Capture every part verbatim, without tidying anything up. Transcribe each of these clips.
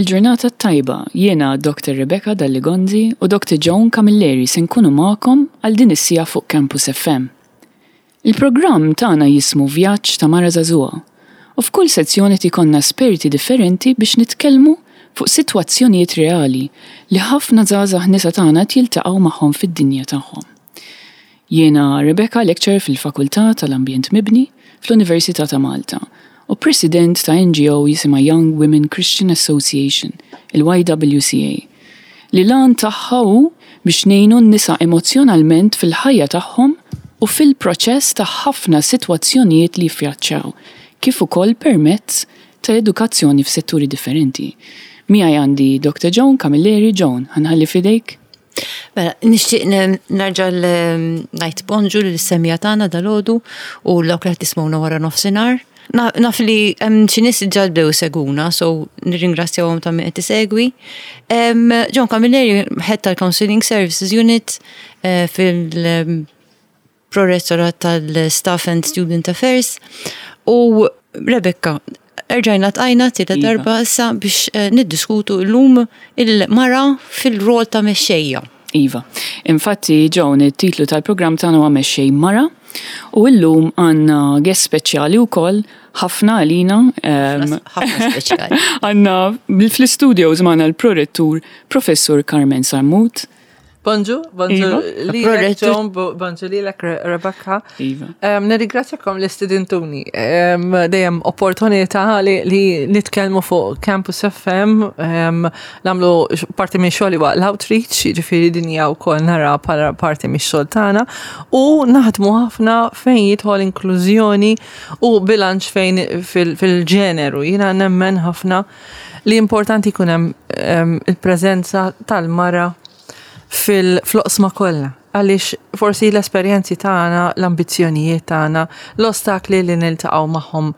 Il-ġurnata tajba, jiena Doctor Rebecca Dalli Gonzi u Doctor Joan Camilleri se nkunu magħkom għal din is-siegħa fuq Campus F M. Il-programm tagħna jismu Vjaġġ ta' Mara Żagħżugħa u f'kull sezzjoni ikollna esperti differenti biex nitkellmu fuq sitwazzjonijiet reali li ħafna żgħażagħ nisa tagħna jiltaqgħu magħhom fid-dinja tagħhom. Jiena Rebecca, lecturer fil-Fakultà tal-Ambjent Mibni fl-Università ta' Malta u president ta' N G O jisimha Young Women Christian Association, il-Y W C A, li l-għan tagħha hu biex ngħinu n-nisa emozjonalment fil-ħajja tagħhom u fil-proċess ta' ħafna sitwazzjonijiet li jiffaċċjaw, kif ukoll permezz ta' edukazzjoni f'setturi differenti. Miegħi għandi Doctor Joan Camilleri. Joan, ħa nħalli f'idejk. Mela, nixtieq nerġa' ngħid bonġu lis-semmiegħa tagħna dalgħodu u dawk li qed tismgħuna wara nofsinhar. Naf li hemm xi nies diġà bdew isegwuna, so nirringrazzjahom ta' min qed isegwi. Joan Camilleri, Head tal-Counseling Services Unit eh, fil- Prorettorat tal-Staff and Student Affairs u Rebecca, erġajna ltqajna tielet Iva. darba issa biex eh, niddiskutu llum il-mara fil-rol ta' mexxejja. Iva. Infatti, Joan, it-titlu tal-programm tagħna huwa Mexxej Mara u llum għandna guest speċjali wkoll ħafna għalina. em, Ħafna speċjali. Għandna fl-studios magħna l-prorettur Professur Carmen Sammut. Bonġu, bonġu Iva. lilek Prorettur. Joan, bo- bonġu lilek Re- Rebecca. Iva. Um, Nirringrazzjakom li stidintuni. Um, dejjem opportunità li, li nitkellmu fuq Campus F M, um, nagħmlu x- parti minn xogħli waqt l-outreach, jiġifieri din hija wkoll nara bħala parti mix xogħol tagħna u naħdmu ħafna fejn jidħol inklużjoni u bilanċ fejn fil- fil-ġeneru. Jiena nemmen ħafna li importanti jkun hemm um, il-preżenza tal-mara fil-oqsma kollha. Għaliex forsi l-esperjenzi tagħna, l-ambizzjonijiet tagħna, l-ostakli li niltaqgħu magħhom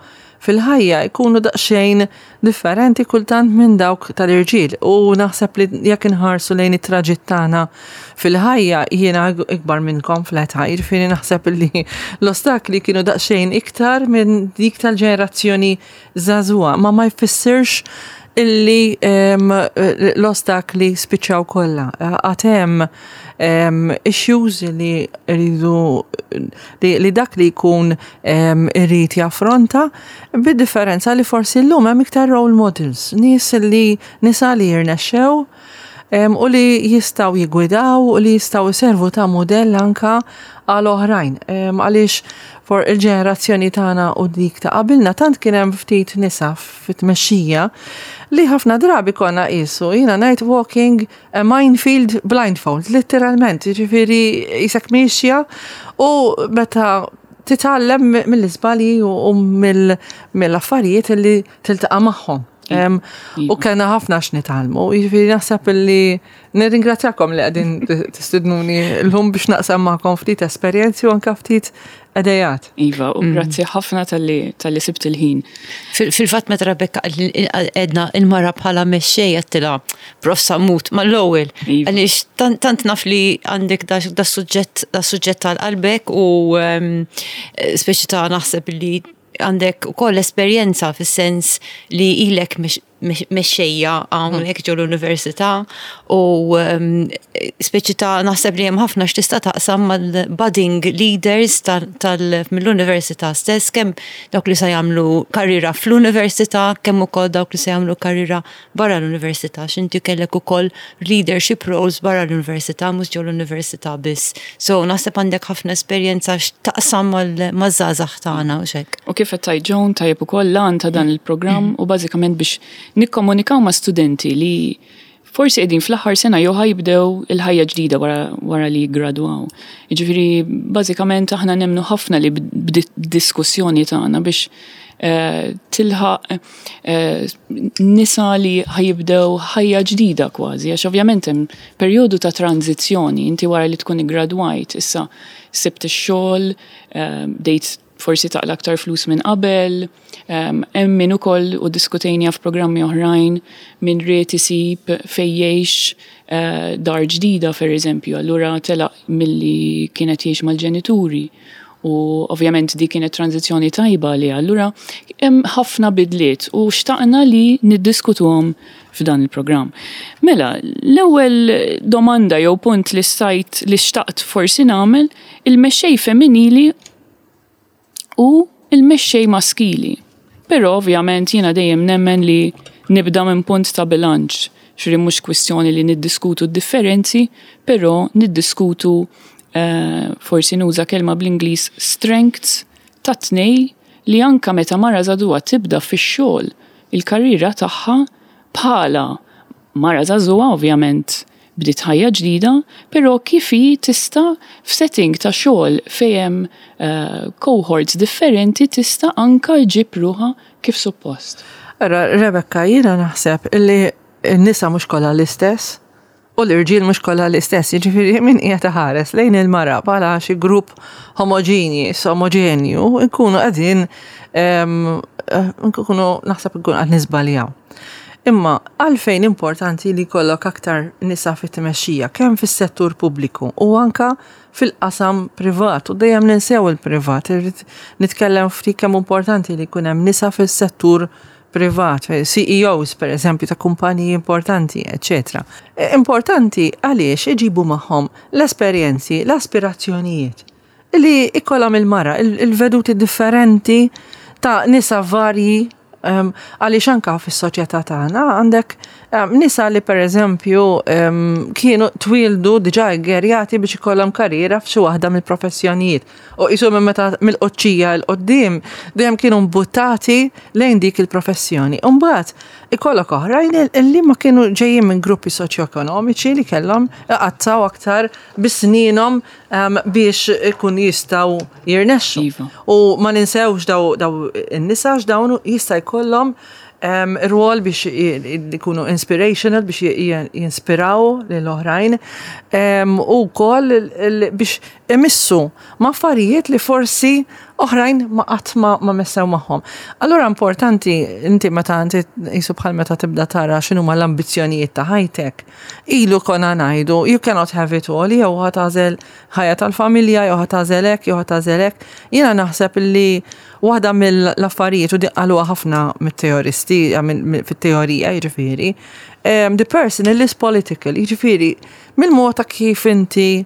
fil-ħajja jkunu daqsxejn differenti kultant minn dawk tal-irġiel. U naħseb li jekk inħarsu lejn it-traġitt tagħna fil-ħajja, jiena ikbar minnkom fl-età, jiġifieri naħseb li l-ostakli kienu daqsxejn iktar minn dik tal-ġenerazzjoni żagħżugħa, ma ma jfissirx illi em, l-ostakli spiċċaw kollha. Għad hemm em, issues li rridu li, li dak li jkun em, irid jaffronta, bid-differenza li forsi llum hemm iktar role models, nies li nisa li jirnexxew em, u li jistgħu jigwidaw u li jistgħu jservu ta' modell anka għal oħrajn. Em, Għaliex for il-ġenerazzjoni tagħna u dik ta' qabilna tant kien hemm ftit nisa fit-tmexxija li ħafna drabi konna qisu, jiena ngħid, walking a minefield blindfold, literalment, jiġifieri qisek miexja u meta titgħallem mill-iżbalji u u mill- mill-affarijiet li tiltaqa' magħhom. Em, U kellna ħafna x'nitgħallmu, jiġifieri naħseb li nirringrazzjakom li qegħdin tistidnuni llum biex naqsam magħkom ftit esperjenzi u anka ftit ideat. Iva, u grazzi ħafna talli talli sibt il-ħin. Fil- Fil-fatt meta Rebecca għedna il-mara bħala mexxejja, għedtilha Prof Sammut mal-ewwel. Iva. Għaliex tant tant naf li għandek da da suġġett da suġġett tal-qalbek u em, speċi ta' naħseb li għandek ukoll esperjenza fis-sens li ilek mex- mex- mexxejja hawnhekk ġo l-università u em, speċi ta' naħseb li hemm ħafna x'tista' taqsam mal-budding leaders tal- tal- mill-università stess, kemm dawk li se jagħmlu karriera fl-università, kemm ukoll dawk li se jagħmlu karriera barra l-università, x'inti kellek ukoll leadership roles barra l-università, mhux ġo l-università biss. So naħseb għandek ħafna esperjenza x'taqsam mal- maż-żgħażagħ tagħna u xek. U kif qed tgħid Joan, tajjeb ukoll, l-għan ta' dan il-programm u bażikament biex nikkomunikaw ma' studenti li forsi qegħdin fl-aħħar sena jew ħa jibdew il-ħajja ġdida wara, wara li jgradwaw. Jiġifieri bażikament aħna nemmnu ħafna li b'diskussjoni tagħna biex eh, tilħaq eh, nisa li ħa jibdew ħajja ġdida kważi, għax ovvjament hemm perjodu ta' tranzizzjoni, inti wara li tkun iggradwajt, issa sibt ix-xogħol, eh, bdejt forsi taqla aktar flus minn qabel, um, hemm min ukoll, u diskutejna f'programmi oħrajn, min ried isib fejn jgħix, uh, dar ġdida per eżempju, allura telaq milli kienet jgħix mal-ġenituri U ovvjament dik kienet tranzizzjoni tajba li allura hemm ħafna bidliet u xtaqna li niddiskutuhom f'dan il-programm. Mela, l-ewwel domanda jew punt li stajt li xtaqt forsi nagħmel, il-mexxej femminili u il-mexxej maskili. Però ovvjament jiena dejjem nemmen li nibda minn punt ta' bilanċ, xri mhux kwistjoni li niddiskutu d-differenzi, però niddiskutu eh, forsi nuża kelma bl-Ingliż, strengths ta' tnej, li anka meta mara żagħżugħa tibda fix-xogħol il-karriera tagħha bħala mara żagħżugħa, ovvjament bdiet ħajja ġdida, però kif hi tista' f'setting ta' xogħol fejn hemm eh, cohorts differenti tista' anka ġġib ruħha kif suppost. Ara, Rebecca, jiena naħseb illi n-nisa mhux kollha l-istess u l-irġiel mhux kollha l-istess. Jiġifieri min qiegħed iħares lejn il-mara bħala xi grupp homogeneous, omogenju, nkunu qegħdin em, eh, nkunu naħseb nkunu qed niżbaljaw. Imma għalfejn importanti li jkollok aktar nisa fit-tmexxija, kemm fis-settur pubbliku u anka fil-qasam privat, u dejjem ninsew il-privat, irrid nitkellem ftit kemm importanti li jkun hemm nisa fis-settur privat, C E Os per eżempju ta' kumpaniji importanti, eccetera. Importanti għaliex iġibu magħhom l-esperjenzi, l-aspirazzjonijiet li ikollhom il-mara, il-veduti differenti ta' nisa varji, um, għaliex anka fis-soċjetà tagħna għandek um, nisa li per eżempju um, kienu twildu diġà ggerjati biex ikollhom karriera f'xi waħda mill-professjonijiet. U qisu minn meta mill-qoċċija 'l quddiem dejjem kienu mbuttati lejn dik il-professjoni. U mbagħad ikollok oħrajn li ma kienu ġejjin minn gruppi soċjoekonomiċi li kellhom iqattaw aktar bis-sninhom um, biex ikun jistgħu jirnexxu. Iva. U ma ninsewx daw, daw in-nisa, dawn jista' jkollhom um, rwol biex jkunu inspirational, biex jinspiraw lil oħrajn um, u wkoll biex imissu ma' affarijiet li forsi oħrajn ma qatt ma, ma messew magħhom. Allura importanti inti meta inti qisu bħal meta tibda tara x'inhuma l-ambizzjonijiet ta' ħajtek. Ilu konna ngħidu you cannot have it all, jew ħa tagħżel ħajja tal-familja, jew ħa tagħżel hekk, jew ħa tagħżel hekk. Jiena naħseb li waħda mill-affarijiet, u qaluha ħafna mit-teoristi, fit-teorija jiġifieri, the person is political, jiġifieri mill-mod ta' kif inti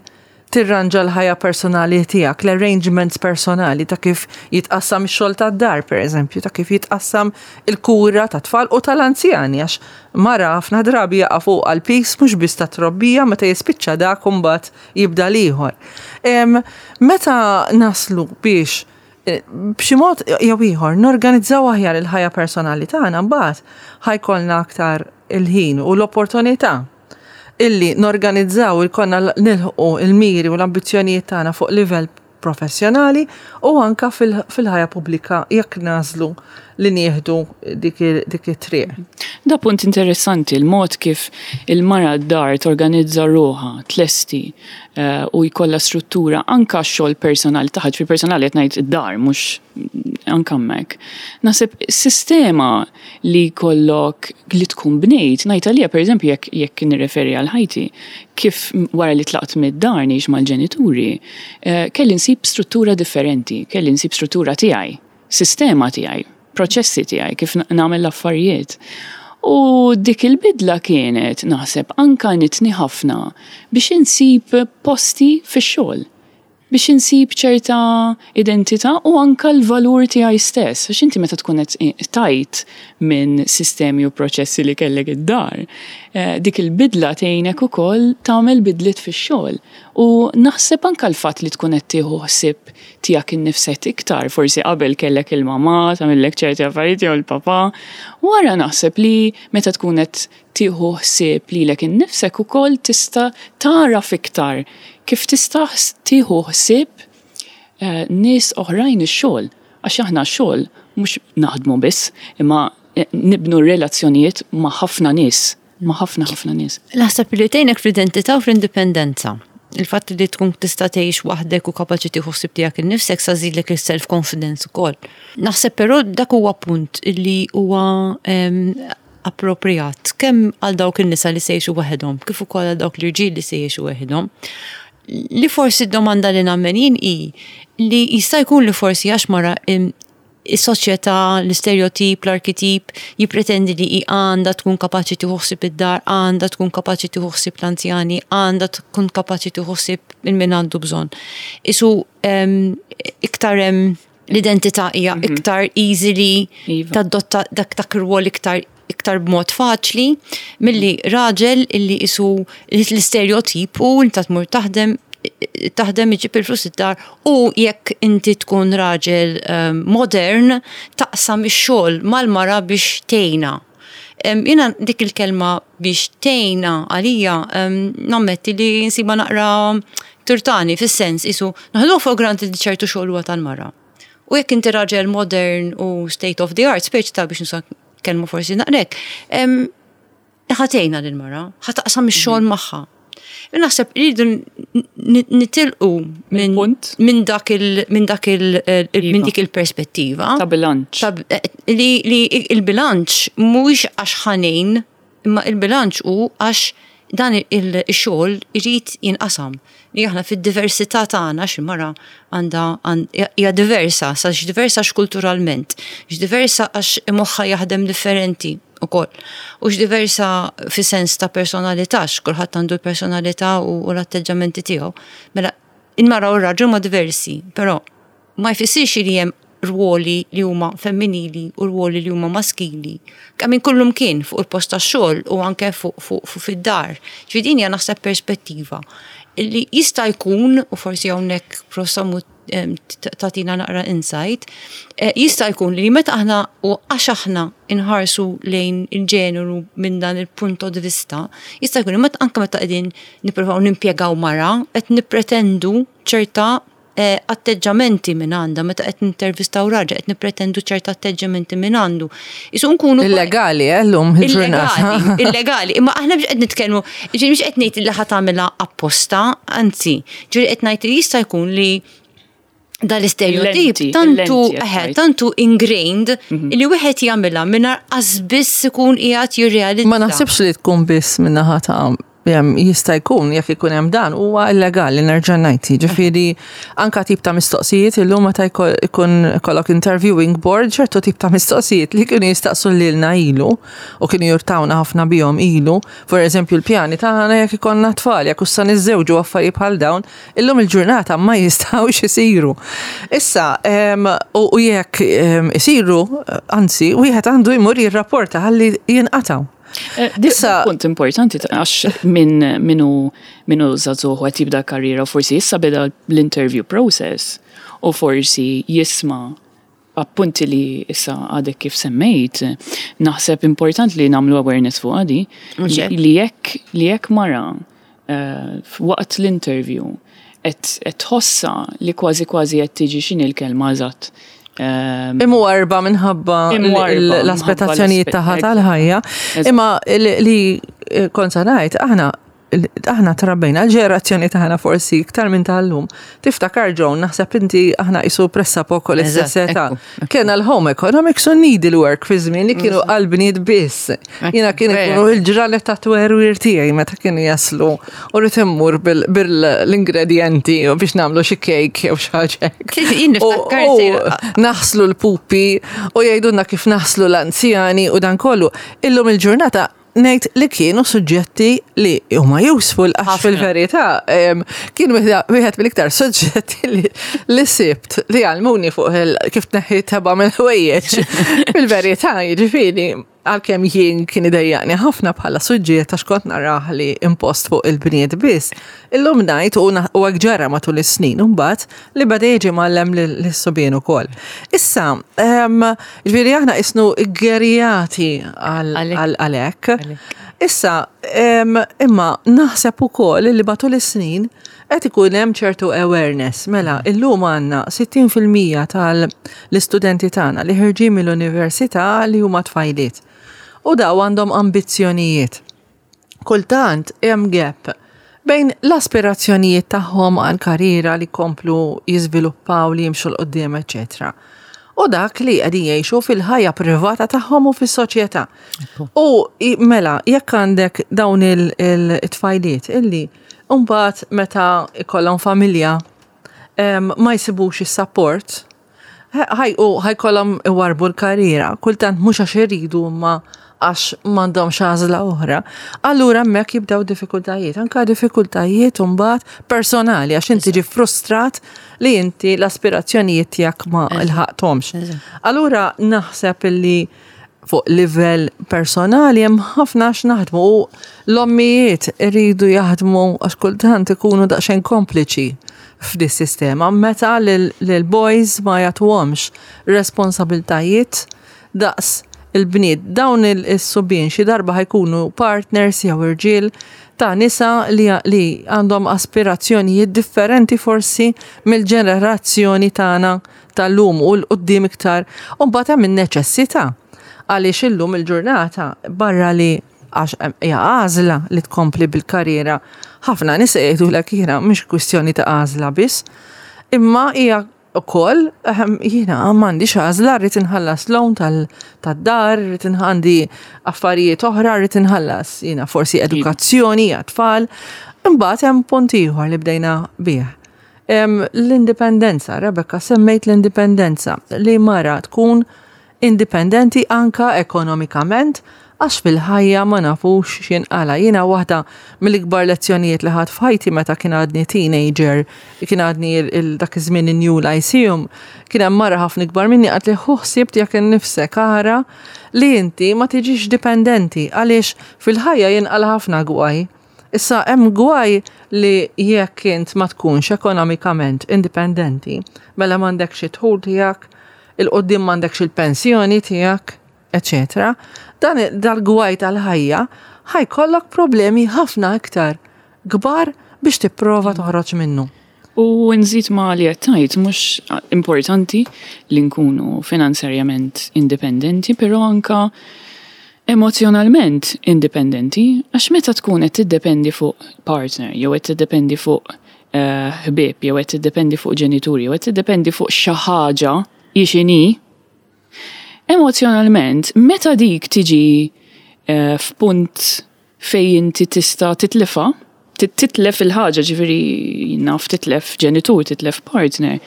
tirranġa l-ħajja personali tiegħek, l-arrangements personali ta' kif jitqassam ix-xogħol tad-dar, per eżempju, ta' kif jitqassam il-kura ta' tfal u tal-anzjani, għax mara ħafna drabi jaqa' fuq għal-piż mhux biss ta' trobbija, meta jispiċċa dak imbagħad jibda l-ieħor. Meta naslu biex eh, b'xi mod jew ieħor norganizzaw aħjar il-ħajja personali tagħna, mbagħad ħa jkollna aktar il-ħin u l-opportunità illi norganizzaw il-konna nilħqu il-miri u l-ambizzjonijiet tagħna fuq livell professjonali u anka fil-ħajja pubblika jekk nagħżlu li nieħdu dik it-triq. Da punt interessanti, il-mod kif il-mara d-dar torganizza ruħha, tlesti eh, u jkollha struttura anka xogħol personali taħt, fi personali qed ngħid id-dar, mhux anka hemmhekk. Naħseb sistema li jkollok li tkun bnejt, ngħid għalija, pereżempju, jekk jekk nirreferi għal ħajti, kif wara li tlaqt mid-dar ngħix mal-ġenituri, eh, kelli nsib struttura differenti, kelli nsib struttura tiegħi, sistema tiegħi, proċessi tiegħi kif nagħmel l-affarijiet. U dik il-bidla kienet, naħseb, anka għenitni ħafna biex insib posti fix-xogħol, biex insib ċerta identità u anka l-valur tiegħi stess. Għax inti meta tkun qed tajt minn sistemi u proċessi li kellek id-dar, eh, dik il-bidla tgħinek ukoll tagħmel bidliet fix-xogħol. U naħseb anka l-fatt li tkun qed tieħu ħsieb tiegħek innifsek iktar, forsi qabel kellek il-mamà tagħmellek ċerti affarijiet jew il-papà. Wara naħseb li meta tkun qed tieħu ħsieb lilek innifsek ukoll tista' taraf iktar kif tista' tieħu ħsieb eh, nies oħrajn ix-xogħol. Għax aħna x-xogħol mhux naħdmu biss, imma eh, nibnu relazzjonijiet ma' ħafna nies, ma' ħafna ħafna nies. Naħseb li tgħinek fl-identità u fl-indipendenza. Il-fatt li tkun tista' tgħix waħdek u kapaċi tieħu ħsieb tiegħek innifsek sa żidlek il-self confidence ukoll. Naħseb però dak huwa punt li huwa em, appropriat kemm għal dawk in-nisa li se jgħixu waħedhom, kif ukoll għal dawk l-irġiel li se jgħixu waħedhom. Li forsi d-domanda li nagħmel jien hi li jista' jkun li forsi għax mara is-soċjetà, l-istereotip, l-arketip jippretendi li hi għandha tkun kapaċi tieħu ħsieb id-dar, għandha tkun kapaċi tieħu ħsieb l-anzjani, għandha tkun kapaċi tieħu ħsieb il min għandu bżonn. Isu iktar l-identità hija mhm. iktar easily iva. tadotta dak dak ir-rwol iktar iktar b'mod faċli milli raġel illi isu l-istereotip u inta tmur taħdem taħdem, iġib il-flus id-dar u jekk inti tkun raġel ehm, modern taqsam ix-xogħol mal-mara biex tgħinha. Jiena dik il-kelma "biex tgħinha" għalija nammetti li nsiba naqra turtani, fis-sens isu naħdu for granted li ċertu xogħol huwa tal-mara. U jekk inti raġel modern u state of the art, speċi ta' biex nuża kelma forsi naqrek, ħa tgħinha lill-mara, ħa taqsam ix-xogħol mhm. magħha. Naħseb rridu nitilqu minn dak il minn dak il minn iva. dik il-perspettiva. Ta' bilanċ. Eh, li, li il-bilanċ mhuwiex għax ħa ngħin, imma il-bilanċ hu għax dan il-xogħol irid jinqasam. Li aħna fid-diversità tagħna, xi mara għandha hija diversa, sa diversa kulturalment, diversa għax moħħha jaħdem differenti ukoll. U diversa fi sens ta' personalità, kulħadd għandu l-personalità u l-atteġġamenti tiegħu. Mela, il-mara u r-raġel ma diversi, però ma jfissirx li hemm ruoli li huma femminili u ruoli li huma maskili. Kemm kullum kien fuq il-post tax-xogħol u anke fuq fuq fuq fid-dar. Ġifieri din hija, naħseb, perspettiva li jista' jkun, u forsi hawnhekk prosamu tagħtina naqra insight, eh, jista' jkun li meta aħna u għax aħna inħarsu lejn il-ġeneru minn dan il-punto di vista, jista' jkun li meta anke meta qegħdin nippruvaw nimpjegaw mara, qed nippretendu ċerta eh, atteġġamenti minn għandha, meta qed nintervistaw raġel qed nippretendu ċerta atteġġamenti minn għandu. Isu nkunu Illegali, eh, llum il-ġurnata. Illegali, illegali. Imma aħna biex qed nitkellmu, ġifieri mhux qed ngħid li ħa tagħmilha apposta, anzi, ġifieri qed ngħid li jista' jkun li dal-istereotip Il-lenti, tantu il-lenti qed eħe, tgħid. tantu ingrained li wieħed jagħmilha mingħajr qas biss ikun qiegħed jirrealizza. Ma naħsibx li tkun biss minnaħa ta' jem, jista' jkun jekk ikun hemm dan huwa illegali, nerġa' ngħid. Ġifieri anka tip ta' mistoqsijiet illum meta jko- ikun kollok interviewing board, ċertu tip ta' mistoqsijiet li kienu jistaqsu lilna ilu u kienu jurtawna ħafna bihom ilu, for eżempju l-pjani tagħna jekk ikollna tfal, jekk issa niżżewġu, affarijiet bħal dawn, illum il-ġurnata ma jistgħux isiru. Issa, em, u u jekk em, isiru, anzi, wieħed għandu jmur jirrapporta ħalli jinqataw. Eh, Issa punt importanti ta' għax minn minu minu żagħżugħ u qed jibda karriera u forsi issa beda l-interview process u forsi jisma' appunti li issa għadek kif semmejt, naħseb important li nagħmlu awareness fuq għadi Mhux hekk? li jekk li jekk mara eh, waqt l-interview qed qed tħossa li kważi kważi qed tiġi, x'inhi l-kelma eżatt? Ehm, Imwarba minħabba Imwarba l- l-aspettazzjonijiet minħabba tagħha l-aspe- tal-ħajja. Eżatt. Imma li li kont se ngħid, aħna aħna trabbejna, l-ġenerazzjoni tagħna forsi iktar minn tal-lum. Tiftakar, Joan, naħseb inti, aħna isu pressappoco l-istess Eżatt, età. ekku, ekku. Kena l-home economics u needlework fi żmien li kienu għall-bniet biss. Jiena kienu vera. ikunu il-ġranet ta' twerwir tiegħi meta kienu jaslu u rrid immur bil-ingredienti u biex nagħmlu xi cake jew xi ħaġa hekk. Jien niftakar U- u sejra- naħslu l-pupi u jgħidulna kif naħslu l-anzjani u dan kollu. Illum il-ġurnata ngħid li kienu suġġetti li huma useful għax Ħafna. fil-verità em, kien wieħed wieħed mill-iktar suġġetti li, li sibt li għallmuni fuq il- kif tneħħi tebgħa mill-ħwejjeġ. Fil-verità, jiġifieri, għalkemm jien kien idejjaqni ħafna bħala suġġett għax kont narah li impost fuq il-bniet biss. Illum ngħid u na- u hekk ġara matul is-snin imbagħad li beda jiġi mgħallem lis-subien ukoll. Issa, em, ġifieri aħna isnu ggerjati Għalhekk. għalhekk. Issa, em, imma naħseb ukoll li matul is-snin qed ikun hemm ċertu awareness. Mela, illum għandna sittin fil-mija tal-istudenti tagħna li ħerġin mill-università li huma tfajliet. U daw għandhom ambizzjonijiet. Kultant hemm gap bejn l-aspirazzjonijiet tagħhom għal karriera li komplu jiżviluppaw, li jimxu 'l quddiem, eċetera. U dak li qegħdin jgħixu fil-ħajja privata tagħhom u fis-soċjetà. U i- mela, jekk għandek dawn il-tfajliet illi Mbagħad meta ikollhom familja ma jsibux is-support, ħaj u ħa jkollhom iwarbu l-karriera, kultant mhux għax iridu, imma għax m'għandhomx għażla oħra. Allura hemmhekk jibdew diffikultajiet, anka diffikultajiet mbagħad personali, għax inti ġi frustrat li inti l-aspirazzjonijiet tiegħek ma lħaqthomx. Allura naħseb illi fuq livell personali hemm ħafna x'naħdmu u l-ommijiet iridu jaħdmu, għax kultant ikunu daqsxejn kompliċi f'dis sistema meta lil-boys ma jagħtuhomx responsabiltajiet daqs il-bniet. Dawn il-subien xi darba ħa jkunu partners jew irġiel ta' nisa li, li għandhom aspirazzjonijiet differenti forsi mill-ġenerazzjoni tagħna tal-lum u 'l quddiem iktar. U mbagħad hemm in-neċessità, għaliex illum il-ġurnata, barra li għax hija għażla li tkompli bil-karriera, ħafna nisa jgħidulek, jiena mhix kwistjoni ta' għażla biss, imma hija ukoll ehm, jiena m'għandix għażla, rrid inħallas loan tad-dar, rrid għandi affarijiet oħra, rrid inħallas jiena forsi edukazzjoni għat-tfal. Imbagħad hemm punt ieħor li bdejna bih. L-indipendenza, Rebecca, semmejt l-indipendenza, li mara tkun indipendenti anka ekonomikament, għax fil-ħajja ma nafux x'jinqala. Jiena waħda mill-ikbar lezzjonijiet li ħadt f'ħajti meta kien għadni teenager, kien għadni dak iż-żmien in-New Lyceum, kien hemm mara ħafna ikbar minni, qaltli, "Ħu ħsieb tiegħek innifsek, ara li inti ma tiġix dipendenti, għaliex fil-ħajja jinqala ħafna gwaj." Issa hemm gwaj li jekk int ma tkunx ekonomikament indipendenti, mela m'għandekx id-dħul tiegħek, 'il quddiem m'għandekx il-pensjoni tiegħek, eċetera. Dan dal-gwaj tal-ħajja ħa jkollok problemi ħafna iktar kbar biex tipprova toħroġ minnu. U nżid ma li għedt, mhux importanti li nkunu finanzjarjament indipendenti, pero anka emozjonalment indipendenti, għax meta tkun qed tiddependi fuq partner, jew qed tiddependi fuq eh, ħbieb, jew qed tiddependi fuq ġenituri, jew qed tiddependi fuq xi ħaġa hi x'inhi, emozjonalment, meta dik tiġi eh, f'punt fej inti tista' titlifa, titlef il-ħaġa, ġifieri naf titlef ġenitur, titlef partner,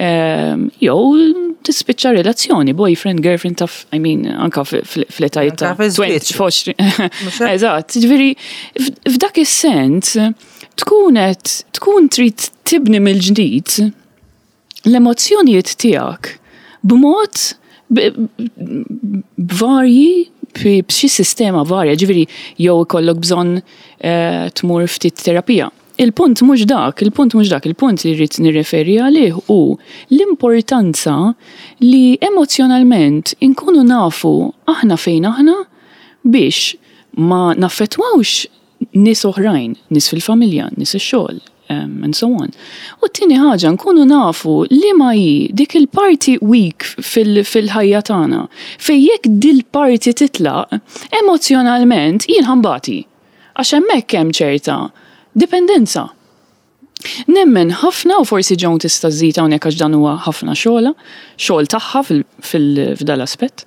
ehm, jew tispiċċa relazzjoni, boyfriend, girlfriend, taf, I mean, anka fl-etajiet ta' għoxrin. Eżatt, ġifieri, f'dak is-sens, tkun tkun trid tibni mill-ġdid l-emozzjonijiet tiegħek b'mod b'varji, b'xi sistema varja, ġifieri jew ikollok bżonn eh, tmur ftit terapija. Il-punt mhux dak, il-punt mhux dak, il-punt li rrid nirreferi għalih hu l-importanza li emozjonalment inkunu nafu aħna fejn aħna biex ma naffettwawx nies oħrajn, nies fil-familja, nies ix-xogħol, um, and so on. U t-tieni ħaġa, nkunu nafu li ma hi dik il-parti weak fil-ħajja tagħna. Fej jekk dil-parti titlaq, emozjonalment jien ħa nbati. Għax hemmhekk hemm ċerta dipendenza. Nemmen ħafna, u forsi Joan tista' żżid hawnhekk għax dan huwa ħafna xogħla, xogħol tagħha f'dal-aspett,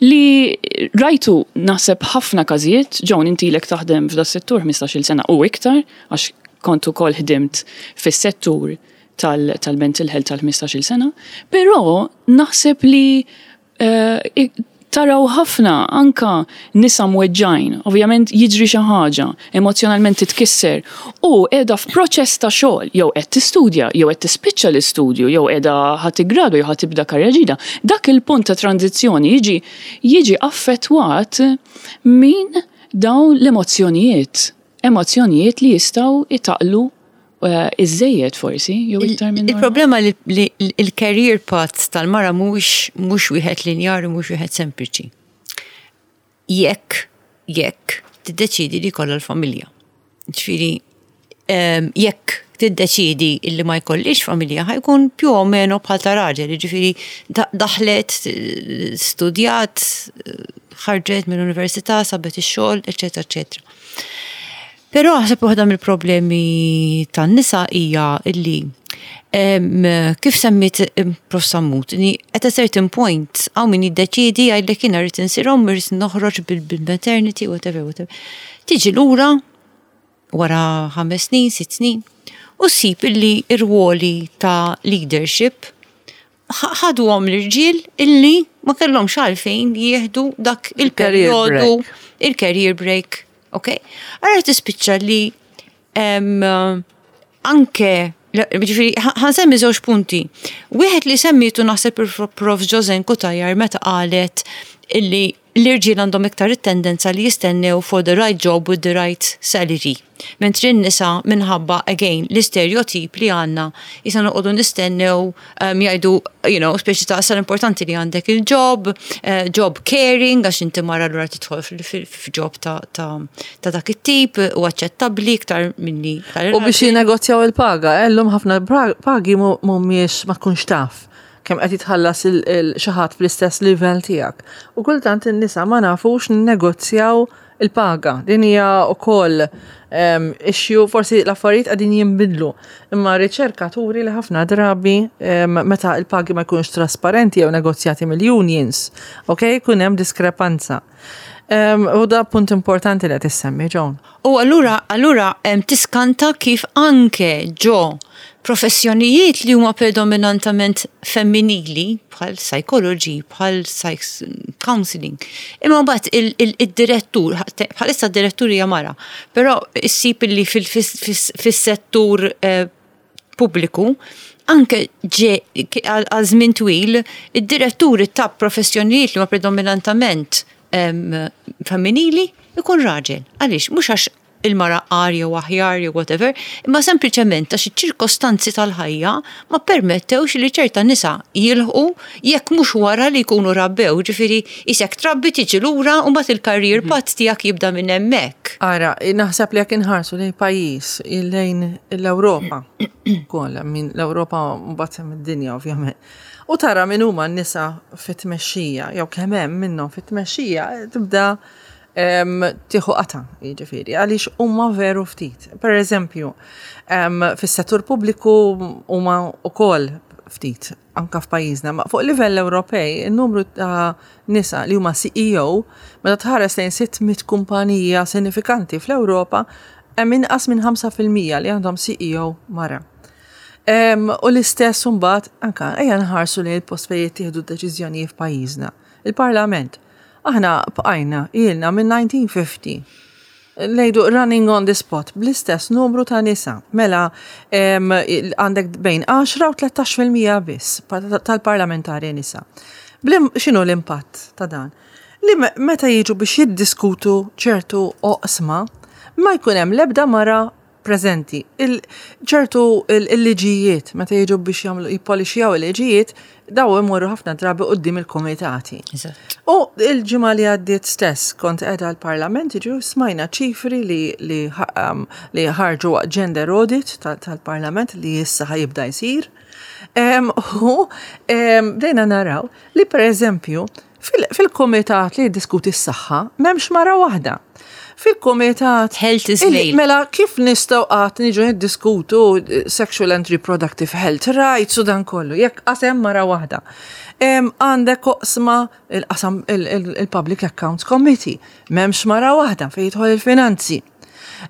li rajtu naħseb ħafna każijiet. Joan, inti ilek taħdem f'das-settur ħmistax-il sena u iktar, għax kont ukoll ħdimt fis-settur tal-mental health tal-ħmistax-il sena, però naħseb li eh, taraw ħafna anka nisa mweġġajn, ovvjament jiġri xi ħaġa, emozjonalment titkisser u qiegħda f'proċess ta' xogħol, jew qed tistudja, jew qed tispiċċa l-istudju, jew qiegħda ħa tiggradwa jew ħa tibda karriera ġdida. Dak il-punt ta' tranzizzjoni jiġi jiġi affettwat minn dawn l-emozzjonijiet, emozzjonijiet li jistgħu itaqlu eh, iżejjed forsi, jew iktar minn Il-problema li li il-career path tal-mara mhux mhux wieħed linjari, mhux wieħed sempliċi. Jekk, jekk tiddeċidi li jkollha l-familja. Ġifieri, em, jekk tiddeċidi illi ma jkollix familja, ħa jkun più o meno bħal ta' raġel, ġifieri da- daħlet, studjat, ħarġet mill-università, sabet ix-xogħol, eċetera, eċetera. Però naħseb waħda mill-problemi tan-nisa hija illi em, kif semmit em, Prof Sammut, ni at a certain point hawn min jiddeċidi jgħidlek, "Jiena rrid insir omm, irrid noħroġ bil-maternity," whatever, whatever. Tiġi lura Wara ħames snin, sitt snin, u ssib illi ir-ruoli ta' leadership ħaduhom l-irġiel illi ma kellhomx għalfejn jieħdu dak il-perjodu, il-career break. Ok? Ara tispiċċa li em, anke ġifieri, ħa nsemmi żewġ punti. Wieħed li semmietu naħseb il-Prof Josen Cutajar meta qalet illi l-irġiel għandhom iktar it-tendenza li jistennew for the right job with the right salary. Mentri n-nisa minħabba, again, l-istereotip li għandna, jisa noqogħdu nistennew um, jgħidu, you know, speċi ta' sal importanti li għandek il-job, uh, job caring, għax inti mara l tidħol fil-job ta', ta, ta' dak it-tip u aċċettabbli iktar minni. U biex jinnegozjaw il-paga, llum ħafna pagi mhumiex ma tkunx taf kemm qed jitħallas xi ħadd fl-istess livell tiegħek. U kultant in-nisa ma nafux ninnegozjaw il-paga. Din hija wkoll issue, forsi l-affarijiet qegħdin jinbidlu. Imma riċerka turi li ħafna drabi meta il-pagi ma jkunux trasparenti jew negozjati mill-unions, ok, jkun hemm diskrepanza. U da punt importanti li qed issemmi, Joan. U allura, allura tiskanta kif anke ġo professjonijiet li huma predominantament femminili, bħal psychology, bħal counseling. Imma mbagħad il-direttur, bħalissa d-direttur hija mara, però issib li fis-settur eh, pubbliku anke ġe għal żmien twil, id-diretturi ta' professjonijiet li huma predominantament femminili ikun raġel. Għaliex, mhux għax il-mara agħar jew aħjar jew whatever, imma sempliċement għax iċ-ċirkostanzi tal-ħajja ma permettewx li ċerta nisa jilħqu jekk mhux wara li jkunu rabbew, ġifieri isek trabbi tiġi lura u mbagħad il-career mhm. path tiegħek jibda minn hemmhekk. Ara, naħseb li jekk inħarsu lejn pajjiż lejn l-Ewropa, ukoll minn l-Ewropa mbagħad hemm id-dinja ovvjament. U tara min huma n-nisa fit-tmexxija, jew kemm hemm minnhom fit-tmexxija, tibda tieħu qata, jiġifieri, għaliex huma veru ftit. Per eżempju, fis-settur pubbliku huma wkoll ftit anka f'pajjiżna, ma fuq livell Ewropej, il-numru ta' nisa li huma C E O, meta tħares lejn sitt mitt kumpanija sinifikanti fl-Ewropa, hemm inqas minn ħamsa fil-mija li għandhom C E O mara. U l-istess mbagħad anka ejja nħarsu li l-post fejn jittieħdu deċiżjonijiet f'pajjiżna. Il-Parlament. Aħna bqajna ilna minn elf disa' mija u ħamsin ngħidu running on the spot bl-istess numru ta' nisa. Mela għandek bejn għaxra u tlettax fil-mija biss tal-parlamentari nisa. X'inhu l-impatt ta' dan? Li meta jiġu biex jiddiskutu ċertu oqsma, ma jkun hemm l-ebda mara preżenti. ċertu il-liġijiet, meta jiġu biex jagħmlu jippolixjaw il-liġijiet, daw imorru ħafna drabi quddiem il-komitati. U il-ġimgħa li għaddiet stess kont qiegħda l-Parlament jiġu smajna ċifri li li um, li ħarġu gender audit tal-Parlament li issa ħa jibda jsir. U bdejna naraw li per eżempju fil-komitat li jiddiskuti s-saħħa m'hemmx mara waħda fil-komitat. Health is male. Mela, kif nistgħu qatt niġu niddiskutu sexual and reproductive health rights u dan kollu, jekk qas hemm mara waħda? Għandek oqsma il-qasam il-Public Accounts Committee, m'hemmx mara waħda fejn jidħol il-finanzi.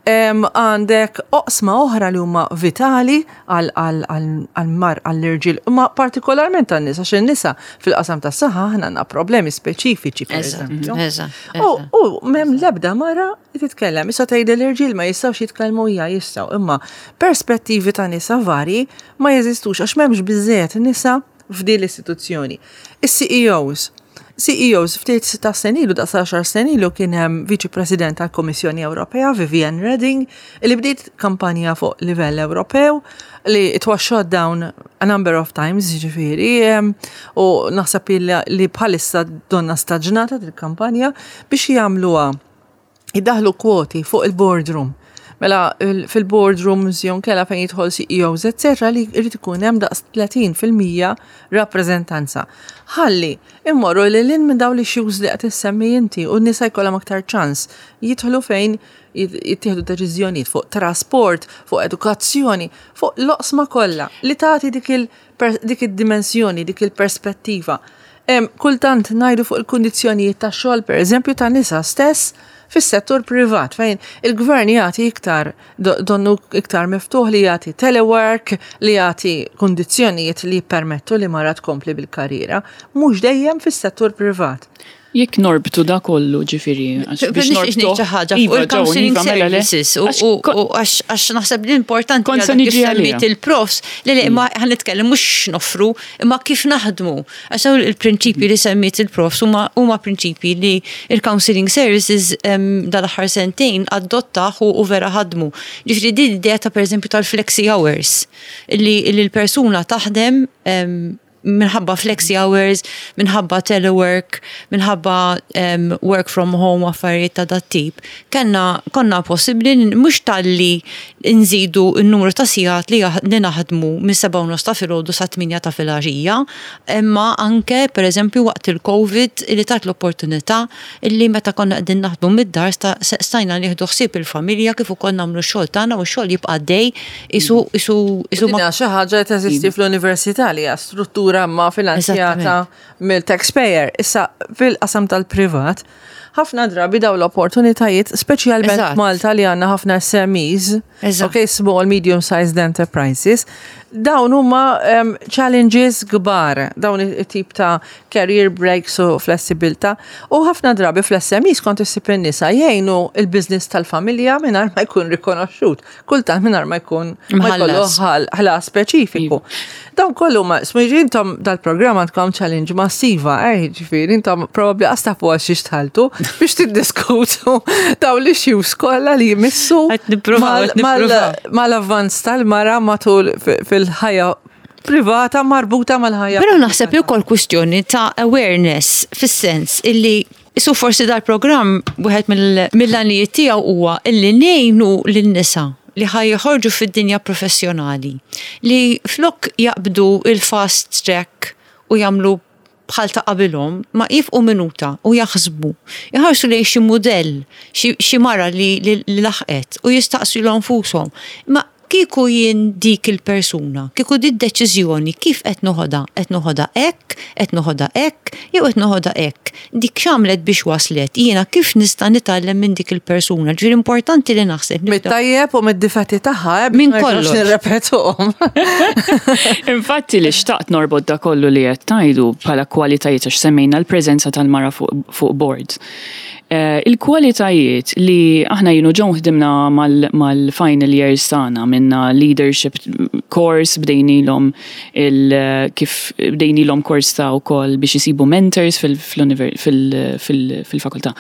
Għandek oqsma oħra li huma vitali għal-mar għall-irġiel, ma partikolarment għan-nisa, għax in-nisa fil-qasam tas-saħħa aħna għandna problemi speċifiċi, per eżempju. U m'hemm l-ebda mara titkellem. Issa tgħid l-irġiel ma jistgħux jitkellmu, hija jistgħu, imma perspettivi ta' nisa vari ma jeżistux għax m'hemmx biżejjed nisa f'din l-istituzzjoni. Is-C E Os, C E Os ftit ta' senilu, da' għaxar senilu kien hemm Viċi President tal-Kommissjoni Ewropea, Viviane Reding, li bdiet kampanja fuq livell Ewropew li it was shot down a number of times, ġifieri, u naħseb li bħalissa donna staġnata il-kampanja biex jagħmluha jiddaħlu kwoti fuq il-boardroom. Mela fil-boardrooms jew kella fejn jidħol C E Os, et cetera li jrid ikun hemm daqs tletin fil-mija rappreżentanza. Ħalli immorru lil hinn minn dawn l-issues li qed issemmi inti u n-nisa jkollhom aktar ċans jidħlu fejn jittieħdu deċiżjonijiet fuq trasport, fuq edukazzjoni, fuq l-oqsma kollha li tagħti dik id-dimensjoni, dik il-perspettiva. Kultant ngħidu fuq il-kundizzjonijiet ta' xogħol, per eżempju, ta' nisa stess fis-settur privat fejn il-gvern jagħti iktar donnu iktar miftuħ li jagħti telework, li jagħti kundizzjonijiet li jippermettu li mara tkompli bil-karriera, mhux dejjem fis-settur privat. Jekk norbtu da kollu, ġifieri, biex norbtu xi ħaġa fuq il-counseling iva, mela services u għax naħseb li importanti Kont se niġi għalija. Il-profs li li ma ħa nitkellem mhux noffru imma kif naħdmu. Għax dawn il-prinċipji li semmiet il-profs huma prinċipji li il-counseling services dal-aħħar sentejn adottaw u vera ħadmu. Ġifieri din l-idea ta' pereżempju tal-flexi hours li l-persuna taħdem minħabba flexi hours, minħabba telework, minħabba um, work from home, affarijiet ta' dat tip, kenna konna possibli mhux talli nżidu n-numru ta' sigħat li li naħdmu minn seba' u nofs ta' filgħodu sa' tmienja ta' filgħaxija, imma anke pereżempju waqt il-Covid li tat l-opportunità illi meta konna qegħdin naħdmu mid-dar stajna nieħdu ħsieb il-familja kif ukoll nagħmlu x-xogħol tagħna u x-xogħol jibqa' dej isu isu isu ma xi ħaġa teżisti fl-università li hija struttura ma finanzjata mill-taxpayer. Issa fil-qasam tal-privat, ħafna drabi daw l-opportunitajiet, speċjalment Malta li għandna ħafna S M Es, okay, small, medium sized enterprises, dawn huma um, challenges kbar, dawn it-tip ta' career breaks u flessibilità. U ħafna drabi fl-S M Es kont issib in-nisa jgħinu il-business tal-familja mingħajr ma jkun rikonoxxut, kultant mingħajr ma jkun ma jkollu ħlas speċifiku. Dawn kollu ma, smiġi intom dal-programm għandkom challenge massiva, eh, ġifieri, intom probabli qas tafu għal xiex dħaltu biex tiddiskutu dawn l-issues kollha li jmissu mal-avvanz tal-mara matul fil-ħajja privata marbuta mal-ħajja. Però naħseb li wkoll kwistjoni ta' awareness fis-sens illi Isu forsi dal-programm wieħed mill-għanijiet tiegħu huwa illi ngħinu lin-nisa li ħa joħorġu fid-dinja professjonali li flok jaqbdu il-fast track u jagħmlu bħal ta' qabilhom ma jieqfu minuta u jaħsbu. Jħarsu lejn xi mudell, xi mara li, li, li laħqet u jistaqsu lilhom infushom. Ma kieku jien dik il-persuna, kieku di deċiżjoni kif qed noħodha, qed noħodha hekk, qed noħodha hekk, jew qed noħodha hekk. Dik x'għamlet biex waslet, jiena kif nista' nitgħallem minn dik il-persuna? Ġifieri importanti li naħseb. Mit-tajjeb u mid-difetti tagħha, eh, Minn kollox. Nirrepetuhom. Infatti li xtaqt norbot da kollu li qed tgħidu bħala kwalitajiet, għax semmejna l-preżenza tal-mara fuq fuq boards. Eh, Il-kwalitajiet li aħna jien u Joan ħdimna mal-final years tagħna minna leadership course, bdejnilhom il kif bdejnilhom course ta' wkoll biex isibu mentors fil-fakultà.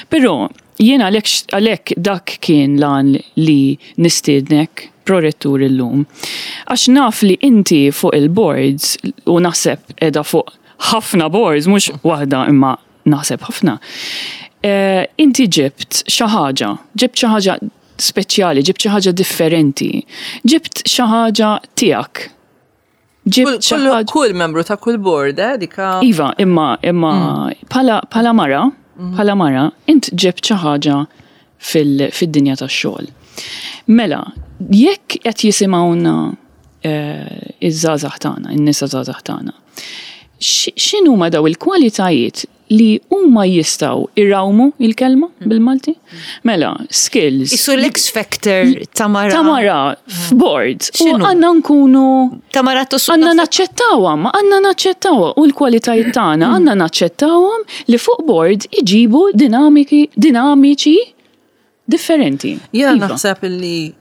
Però jiena għalhekk għalhekk dak kien lan li nistiednek prorettur illum. Għax naf li inti fuq il-boards u naħseb edha fuq ħafna boards, mhux waħda imma naħseb ħafna. Eh, inti ġibt xi ħaġa, ġibt xi ħaġa speċjali, ġibt xi ħaġa differenti, ġibt xi ħaġa tiegħek. Ġibt xi ħaġa. Kull membru ta' kull board, eh, dika. Iva, imma imma bħala bħala mara, bħala mara, int ġibt xi ħaġa fil-dinja tax-xogħol. Mela, jekk qed jisimgħuna eh, iż-żgħażagħ tagħna, in-nisa żgħażagħ tagħna, x'inhuma daw il-kwalitajiet li huma jistgħu irawmu, il-kelma bil-Malti? Mela, skills. Isu l-X factor ta' mara. Ta' mara f'board. U għandna nkunu. Ta' mara. Għandna naċċettawha, ma għandna naċċettawha u l-kwalitajiet tagħna għandna naċċettawhom li fuq board iġibu dinamiki dinamiċi differenti. Jiena iva. naħseb li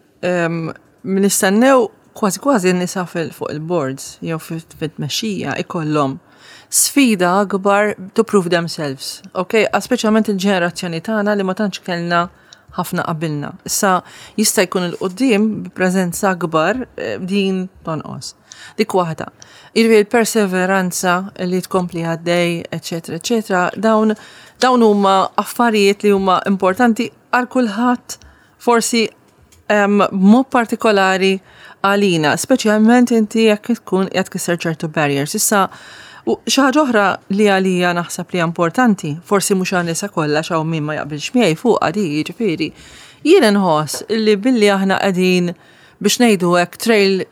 nistennew kważi kważi n-nisa fuq il-boards jew fit-tmexxija ikollhom sfida akbar to prove themselves. Ok, speċjalment il-ġenerazzjoni tagħna li ma tantx kellna ħafna qabilna. Issa jista' jkun il-qoddim b'preżenza akbar eh, din tonqos. Dik waħda. Jiġifieri il-perseveranza li tkompli għaddej, eċetera, eċetera, dawn dawn huma affarijiet li huma importanti għal kulħadd, forsi mod partikolari għalina, speċjalment inti jekk tkun qed tkisser ċertu barriers. Issa, u xi ħaġa oħra li għalija naħseb li importanti, forsi mhux għan-nisa kollha, xaw min ma jaqbilx miegħi fuq għadi, jiġifieri. Jien nħoss li billi aħna qegħdin biex ngħidu hekk trail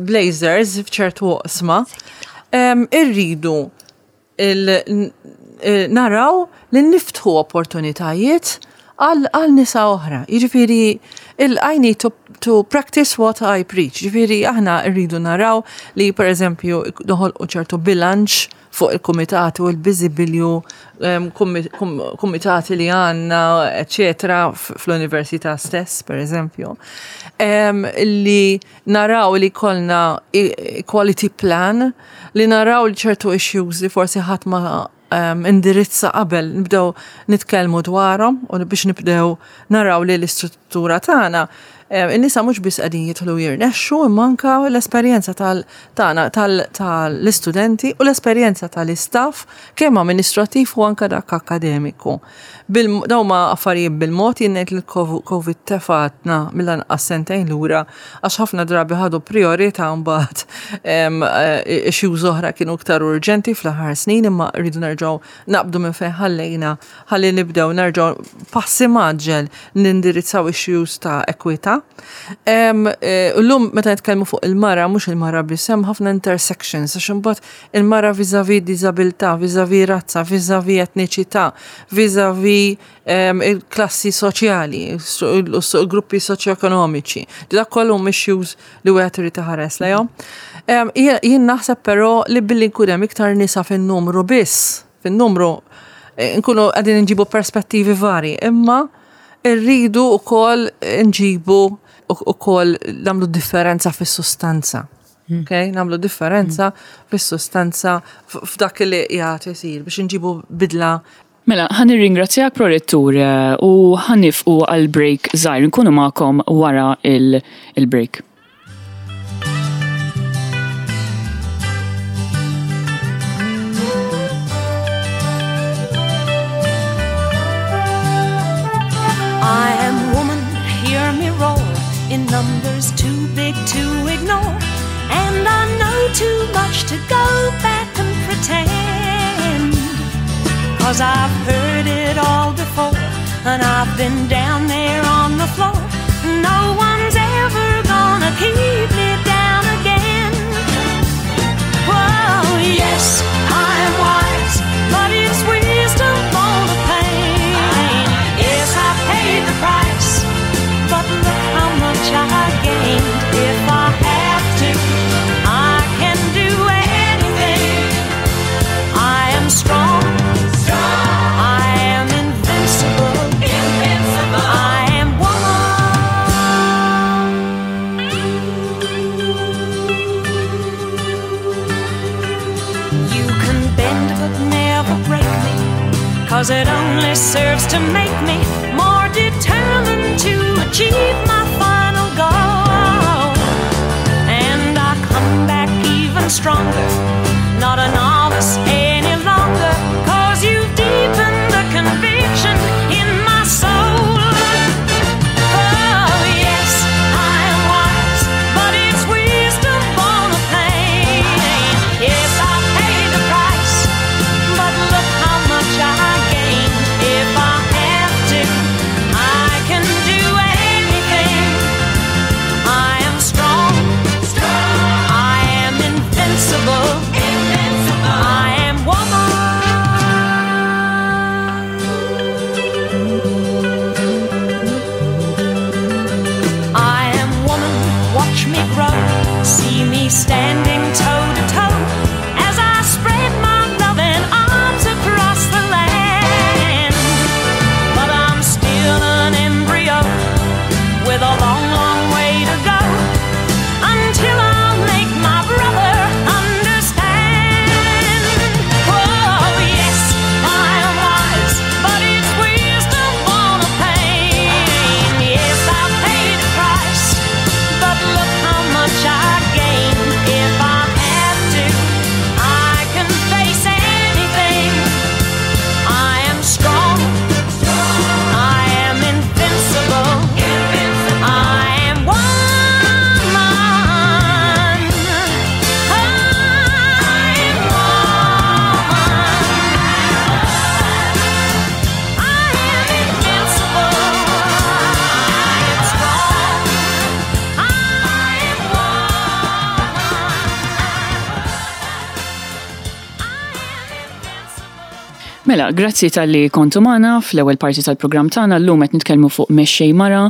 blazers f'ċertu oqsma, irridu naraw li niftħu opportunitajiet għal għal nisa oħra. Jiġifieri il I need to, to practice what I preach. Jiġifieri aħna rridu naraw li per eżempju noħolqu ċertu bilanċ fuq il-kumitati u l-biżibilju kumitati li għandna, eccetera, fl-università stess, per eżempju. Li naraw li kollna equality plan, li naraw li ċertu issues li forsi ħadd ma um, indirizza qabel nibdew nitkellmu dwarhom u biex nibdew naraw li l-istruttura tagħna in-nisa mhux biss qegħdin jidħlu jirnexxu imma anke l-esperjenza tagħna tal-istudenti u l-esperjenza tal-istaff kemm amministrattiv u anke dak akademiku. Dawn ma affarijiet bil-mod jien ngħid li l-Covid tefatna mill-anqas sentejn lura għax ħafna drabi ħadu priorità mbagħad issues oħra kienu iktar urġenti fl-aħħar snin imma rridu nerġgħu naqbdu minn fejn ħallejna ħalli nibdew nerġgħu passi mgħaġġel nindirizzaw issues ta' ekwità. Illum meta nitkellmu fuq il-mara, mhux il-mara biss, hemm ħafna intersections, għax imbagħad il-mara vis-à-vis diżabilità, vis-à-vis razza, vis-à-vis etniċità, vis-à-vis il-klassi soċjali, il-gruppi soċjoekonomiċi. Dak kollu issues li wieħed irid iħares lejhom. Jien naħseb però li billi nkun hemm iktar nisa fin-numru biss, fin-numru nkunu qegħdin nġibu perspettivi vari, imma irridu wkoll nġibu ukoll nagħmlu differenza fis-sustanza. Okay? Nagħmlu differenza fis-sustanza f'dak li qiegħed isir biex nġibu bidla. Mela, ħa nirringrazzjak prorettur u ħa nieqfu għal break żgħir, nkunu magħkom wara il-break. I am woman, hear me roar, in numbers too big to ignore, and I know too much to go back and pretend, 'cause I've heard it all before, and I've been down there on the floor. No one's ever gonna keep me down again. Whoa, yes, I'm wise, but it's wisdom born of pain. Yes, I paid the price, but look how much I gained. If I have to, I can do anything. I am strong. I am invincible. Invincible. I am woman. You can bend but never break me, 'cause it only serves to make me more determined to achieve my final goal. And I come back even stronger, not a novice any longer, 'cause you've deepened the conviction in my soul. Oh, yes, I am wise, but it's wisdom born of pain. Yes, I paid the price, but look how much I gained. If I have to, I can do anything. I am strong. I am invincible. I am woman. I am woman, watch me grow, see me standing toe to toe as I spread my loving arms across the land. But I'm still an embryo with a long, long way to go until I'll make my brother understand. Oh, yes, I am wise, but it's wisdom born of pain. Yes, I paid the price, but look how much I gained. If Mela, grazzi talli kontu magħna fl-ewwel parti tal-programm tagħna. Llum qed nitkellmu fuq mexxej mara.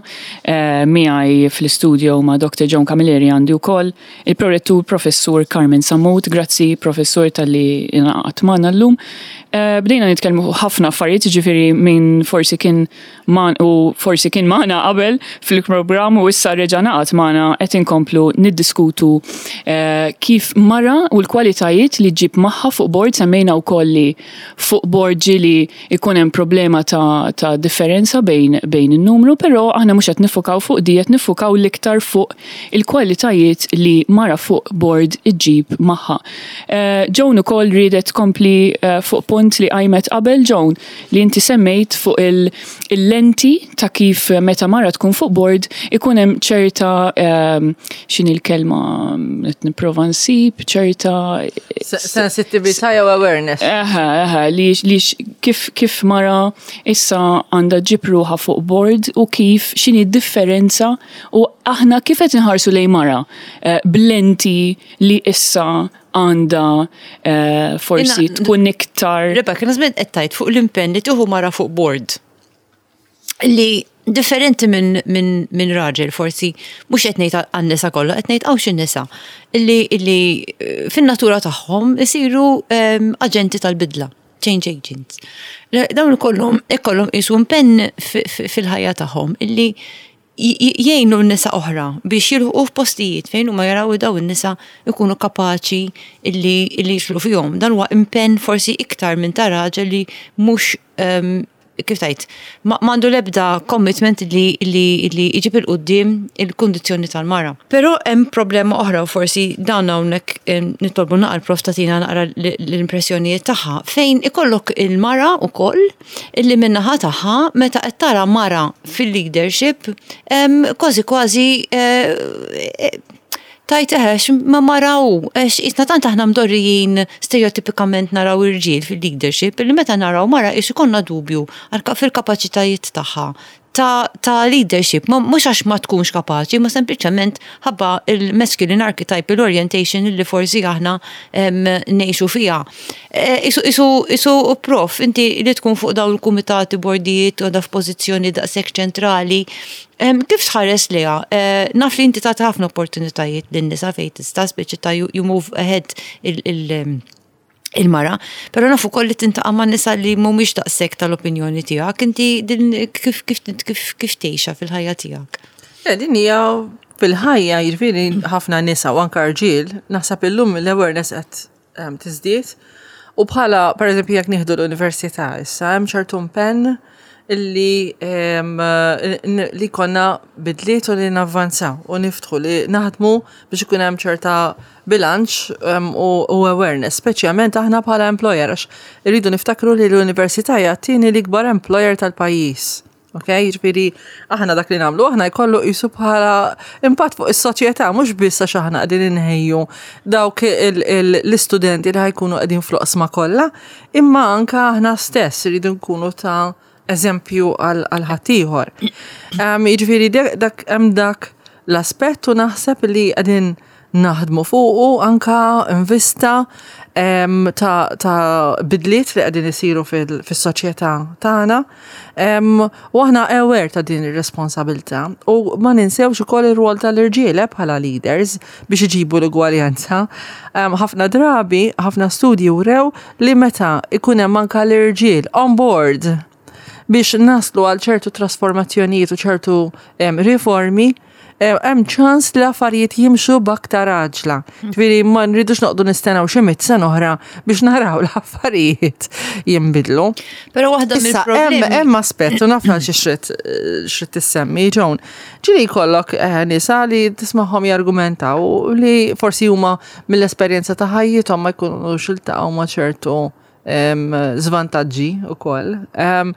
eh, miegħi fl-istudio ma' Doctor Joan Camilleri għandi wkoll il-prorettur Professur Carmen Sammut. Grazzi, Professur, talli ingħaqadt magħna llum. Eh, Bdejna nitkellmu fuq ħafna affarijiet, ġifieri min forsi kien man u forsi kien magħna qabel fil-programm u issa reġa' ngħaqad magħna, qed inkomplu niddiskutu eh, kif mara u l-kwalitajiet li ġib magħha fuq board. Semmejna wkoll li fuq board ġieli ikun hemm problema ta', ta' differenza bejn, bejn in-numru, però aħna mhux qed niffukaw fuq di, qed niffukaw l-iktar fuq il-kwalitajiet li mara fuq board iġġib magħha. Uh, Joan ukoll riedet tkompli uh, fuq punt li qajmet qabel, Joan, li inti semmejt fuq il- il-lenti ta' kif meta mara tkun fuq board ikun hemm ċerta, um, x'inhi l-kelma qed nipprova nsib, ċerta Sensitività jew awareness. Eħe, eħe, li, li kif, kif mara issa għandha ġġib ruħha fuq board u kif x'inhi differenza u aħna kif qed inħarsu lejn mara eh, b'lenti li issa għandha eh, forsi Inna- tkun iktar. Rebecca, nażmet qed tgħid fuq l-impenn li tieħu mara fuq board. Li differenti minn min, min raġel forsi, mhux qed ngħid għan-nisa kollha, qed ngħid hawn xi nisa illi illi eh, fin-natura tagħhom isiru em, aġenti tal-bidla, change agents. Le- Dawn ikollhom ikollhom isu impenn fi- fi- fil-ħajja tagħhom illi j- j- jgħinu n-nisa oħra biex jilħqu f'postijiet fejn huma jaraw daw in-nisa ikunu kapaċi illi illi jidħlu fihom. Dan huwa impenn forsi iktar minn ta' raġel li mhux em, kif tajt, ma m'għandu l-ebda commitment li li li iġib 'il quddiem il-kundizzjoni tal-mara. Però hemm problema oħra u forsi dan hawnhekk em, nitolbu naqra prof tagħtina naqra l- l-impressjonijiet tagħha, fejn ikollok il-mara ukoll illi min-naħa tagħha meta qed tara mara fil-leadership em, kważi kważi eh, eh, tajt eħex ma maraw, eħx isna tant aħna mdorrijin stereotipikament naraw irġiel fil-leadership, li meta naraw mara ix ikollna dubju għal- fil-kapaċitajiet tagħha ta', ta' leadership, ma mhux għax ma tkunx kapaċi, ma sempliċement ħabba il-masculine archetype, l-orientation li forsi aħna em, ngħixu fiha. E, Isu, isu, isu prof, inti li tkun fuq dawn il-kumitati, bordijiet, u da f'pożizzjoni daqshekk ċentrali, em, kif tħares liha? Eh, Naf li inti tagħti ħafna opportunitajiet lin-nisa fejn tista' speċi ta' you, you move ahead il- il- il-mara, pero nafu koll li tiltaqa' ma' nisa li mhumiex daqshekk tal-opinjoni tiegħek, inti din kif kif kif kif tgħixha fil-ħajja tiegħek? Le, din hija fil-ħajja, jiġifieri ħafna nisa u anka rġiel, naħseb illum l-awareness qed em, tiżdied. U bħala, per eżempju, jekk nieħdu l-università issa, hemm ċertu impenn illi em, n- li konna bidliet u li navvanzaw u niftħu li naħdmu biex ikun hemm ċerta bilanċ em, u, u awareness, speċjalment aħna bħala employer, għax irridu niftakru li l-università hija t-tieni l-ikbar employer tal-pajjiż. Ok, jiġifieri aħna dak li nagħmlu, aħna jkollu jisu bħala impatt fuq is-soċjetà, mhux biss għax aħna qegħdin inħejju dawk il- il- l-istudenti li ħa jkunu qegħdin fl-oqsma kollha, imma anka aħna stess irridu nkunu ta' eżempju għal għal ħaddieħor. Um, Jiġifieri dak- dak hemm dak l-aspett u naħseb li qegħdin naħdmu fuqu anka in vista em, ta', ta' bidliet li qegħdin isiru fil- fis-soċjetà tagħna. Em, U aħna aware ta' din ir-responsabilità u ma ninsewx ukoll ir-rwol tal-irġiel eh, bħala leaders biex iġibu l-ugwaljanza. Em, Ħafna drabi, ħafna studji wrew li meta ikun hemm anka l-irġiel on board biex naslu għal ċertu trasformazzjonijiet u ċertu em, riformi, em, hemm ċans li l-affarijiet jimxu b'aktar għaġla. Ġifieri ma nridux noqogħdu nistennew xi mitt sena oħra biex naraw l-affarijiet jinbidlu. Però waħda Issa, hemm mill-problemi. hemm aspett, u naf xi xrid xrid tissemmi, Joan. Ġieli jkollok eh, nisa li tismagħhom jargumentaw li forsi huma mill-esperjenza ta' ħajjithom ma jkunux iltaqgħu ma' ċertu em, żvantaġġi ukoll. Em,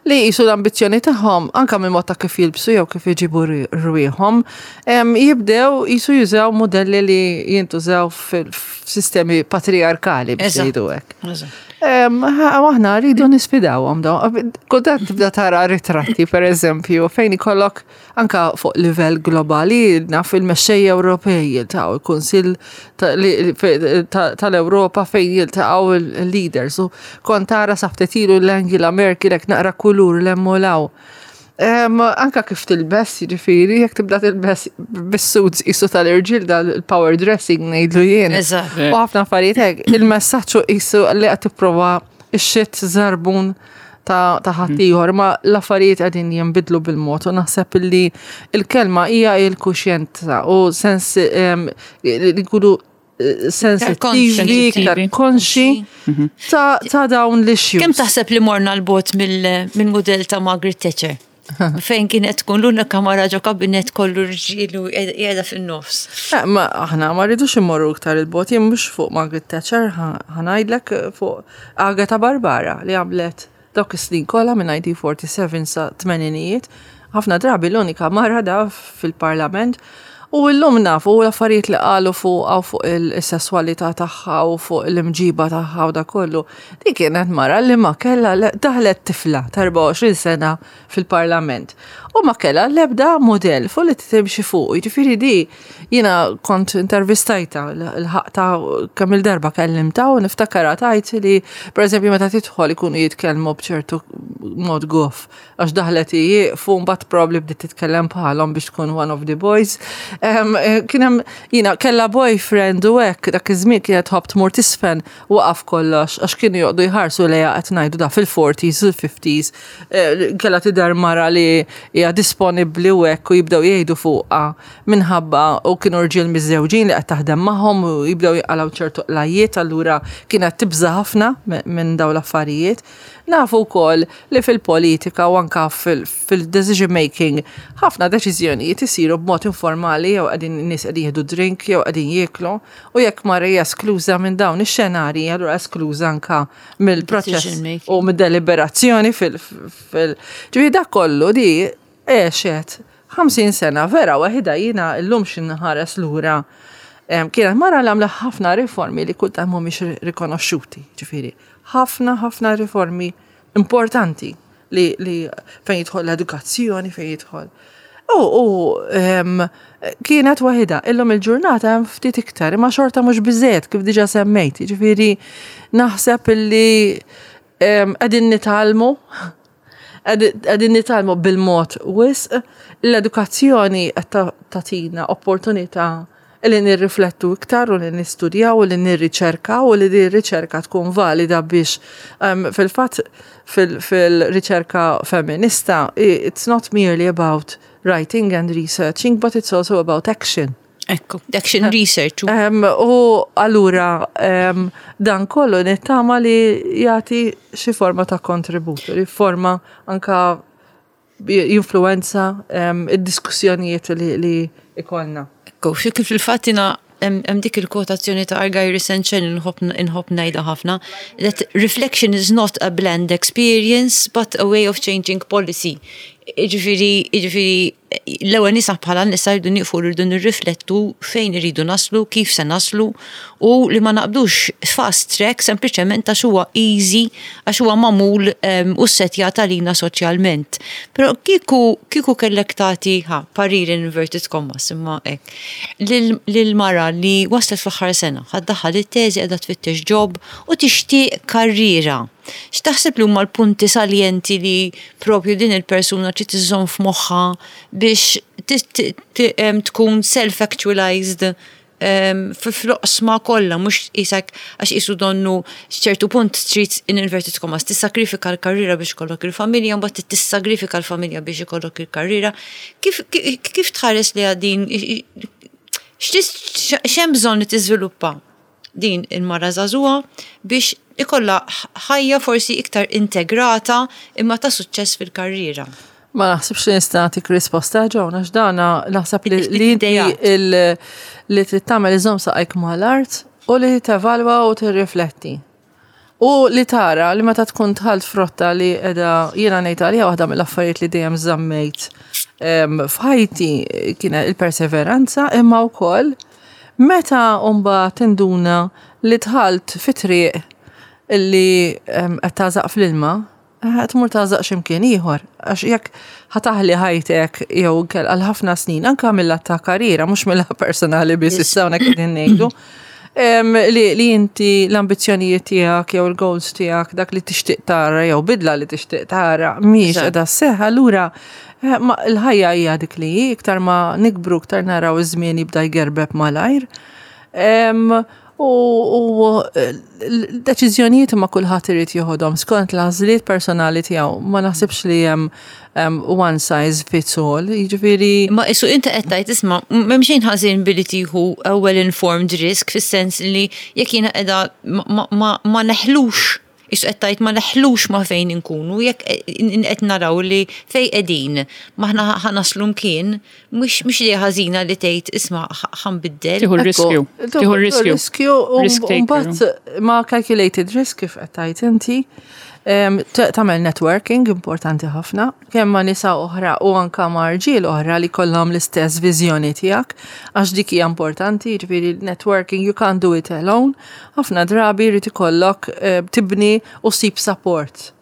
li jisu l-ambizzjoni tagħhom anka minn mod ta' kif jilbsu jew kif iġibu rwieħhom, em, jibdew jisu jużaw modelli li jintużaw fil-sistemi patriarkali biex Eżatt. jgħidu hekk. Eżatt. Em, ħa- Aħna rridu nisfidawhom daw. Kultant tibda tara ritratti, per eżempju, fejn ikollok anka fuq livell globali, naf il-mexxejja Ewropej jiltaqgħu, il-Kunsill ta- li- fe- ta- tal-Ewropa fejn jiltaqgħu il-leaders. Qisu kont tara sa ftit ilu l-Angela Merkel hekk naqra kulur l-emmolaw. Um, anka kif tilbes, jiġifieri, jekk tibda tilbes bis-suits qisu tal-irġiel, dal-power dressing ngħidlu jien. Eżatt. U ħafna affarijiet hekk, il-messaġġ qisu li qed tipprova ix-xit żarbun ta' ta' ħaddieħor, ma l-affarijiet qegħdin jinbidlu bil-mod u naħseb illi il-kelma hija il-kuxjenza u sens em, li nkunu eh, sensittivi, iktar konxi ta' ta' dawn l-issues. Kemm taħseb li morna 'l bogħod mill-mudell ta' Margaret Thatcher? Fejn kienet tkun l-unika mara ġo kabinet kollu rġiel u qiegħda fin-nofs. Eh, ma aħna ma rridux immorru iktar 'il bogħod, jien mhux fuq Margaret Thatcher, ħa ngħidlek fuq Agatha Barbara li għamlet dawk is-snin kollha minn elf disa' mija u erbgħa u erbgħin sa tmeninijiet, ħafna drabi l-unika mara da fil-parlament. U llum nafu l-affarijiet li qalu fuq għaw fuq il-sessualità tagħha u fuq l-imġiba tagħha u da kollu. Di kienet mara li ma kella daħlet tifla ta' erbgħa u għoxrin sena fil-parlament. U ma kella l-ebda model fuq li timxi fuq. Jiġifieri di jiena kont intervistajta l-ħaqta kemm il-darba kellimta u niftakara tgħid li, pereżempju, meta tidħol ikunu jitkellmu b'ċertu mod goff għax daħlet jieqfu, mbagħad probably bdiet titkellem bħalhom biex tkun one of the boys. Em, eh, Kien hemm jiena kellha boyfriend u hekk dak iż-żmien kienet tħobb tmur tisfen, waqaf kollox għax kienu joqogħdu jħarsu lejha, qed ngħidu da fil-forties u l-fifties, eh, kellha tidher mara li hija disponibbli u hekk u jibdew jgħidu fuqha minħabba u kienu rġiel miżżewġin li qed taħdem magħhom u jibdew jqalgħu ċertu qlajiet, allura kienet tibża ħafna minn dawn l-affarijiet. Nafu wkoll li fil-politika u anka fil-decision making ħafna deċiżjonijiet isiru b'mod informali, jew qegħdin nies qegħdin jieħdu drink jew qegħdin jieklu, u jekk mara hija eskluża minn dawn ix-xenarji, allura eskluża anka mill-proċess u mid-deliberazzjoni fil- fil Ġifieri dak kollu di għexet ħamsin sena vera waħida. Jiena llum x'inħares lura, kienet mara li għamla ħafna riformi li kultant mhumiex rikonoxxuti, ġifieri ħafna ħafna riformi importanti li, li fejn jidħol l-edukazzjoni, fejn jidħol. U, u um, kienet waħida, illum il-ġurnata hemm ftit iktar, imma xorta mhux biżejjed kif diġà semmejt, ġifieri naħseb illi qegħdin nitgħallmu, qegħdin nitgħallmu bil-mod wisq, l-edukazzjoni qed tagħtina opportunità li nirriflettu iktar u li nistudjaw u li nirriċerkaw u li di riċerka tkun valida biex um, fil-fatt fil-riċerka feminista it's not merely about writing and researching, but it's also about action. Ekku, action research. Um, u allura um, dan kollu nittama li jagħti xi forma ta' kontribut, li forma anka jinfluenza um, id-diskussjonijiet li, li ikollna. Ekku, kif fil-fatt jiena hemm dik il-kwotazzjoni ta' Argyris and Chen inħobb ngħidha ħafna, that reflection is not a bland experience, but a way of changing policy. Ġifieri, ġifieri, l-ewwel nisa bħala nisa rridu nieqfu, rridu nirriflettu fejn irridu naslu, kif se naslu u li ma naqbdux fast track sempliċement għax huwa easy, għax huwa magħmul u setjat għalina soċjalment. Però kieku kieku kellek tagħti ħa parir in inverted commas imma hekk lil mara li waslet fl-aħħar sena, ħa ddaħħal it-teżi, qiegħda tfittex job u tixtieq karriera. X'taħseb li huma l-punti saljenti li propju din il-persuna trid iżżomm f'moħħha biex tkun self-actualized fl-oqsma kollha, mhux isek għax isu donnu ċertu punt trid in inverted commas tissagrifika l-karriera biex ikollok il-familja, mbagħad tissagrifika l-familja biex ikollok il-karriera. Kif kif tħares li għadin x'hemm bżonn li tiżviluppa din il-mara żagħżugħa biex ikollha ħajja forsi iktar integrata imma ta' suċċess fil-karriera? Ma naħsibx li nista' nagħtik risposta, Joan, għax dana naħseb li li inti li trid tagħmel iżomm saqajk mal-art u li tevalwa u tirrifletti. U li tara li meta tkun dħalt f'rotta li qiegħda, jiena ngħid għalija waħda mill-affarijiet li dejjem żammejt f'ħajti kienet il-perseveranza, imma wkoll meta mbagħad tinduna li dħalt fi triq illi qed tagħżaq fl-ilma, qed tmur tagħżaq x'imkien ieħor. Għax jekk ħa taħli ħajtek jew għal ħafna snin, anke mill ta' karriera, mhux mill personali biss issa hawnhekk qegħdin ngħidu, Em, li, li inti l-ambizzjonijiet tiegħek jew il-goals tiegħek, dak li tixtieq tara jew bidla li tixtieq tara mhix Eżatt. qiegħda sseħħ, allura eh, ma l-ħajja hija dik li hi, iktar ma nikbru iktar naraw iż-żmien jibda jgerbeb malajr. Em, U u, eh, l-deċiżjonijiet ma kulħadd irid joħodhom skont l-għażliet personali tiegħu. Ma naħsibx li hemm em, one size fits all. Jiġifieri Ma isu inti qed tgħid, isma', m'hemm xejn ħażin billi tieħu a well informed risk, fis-sens li jekk jiena qiegħda ma, ma, ma neħlux, isu qed tgħid ma neħlux ma fejn inkunu, jekk qed naraw li fej qegħdin maħna ħa naslu mkien, mhux mhux li ħażina li tgħid, "Isma', ħa nbiddel." Tieħu r-riskju. Tieħu r-riskju. Riskju u Risk taker. mbagħad ma calculated risk kif qed tgħid inti. Em, t- Tagħmel networking, importanti ħafna, kemm ma' nisa oħra u anka ma' rġiel oħra li kollhom l-istess viżjoni tiegħek, għax dik hija importanti, jiġifieri networking, you can't do it alone. Ħafna drabi jrid ikollok eh, tibni u ssib support.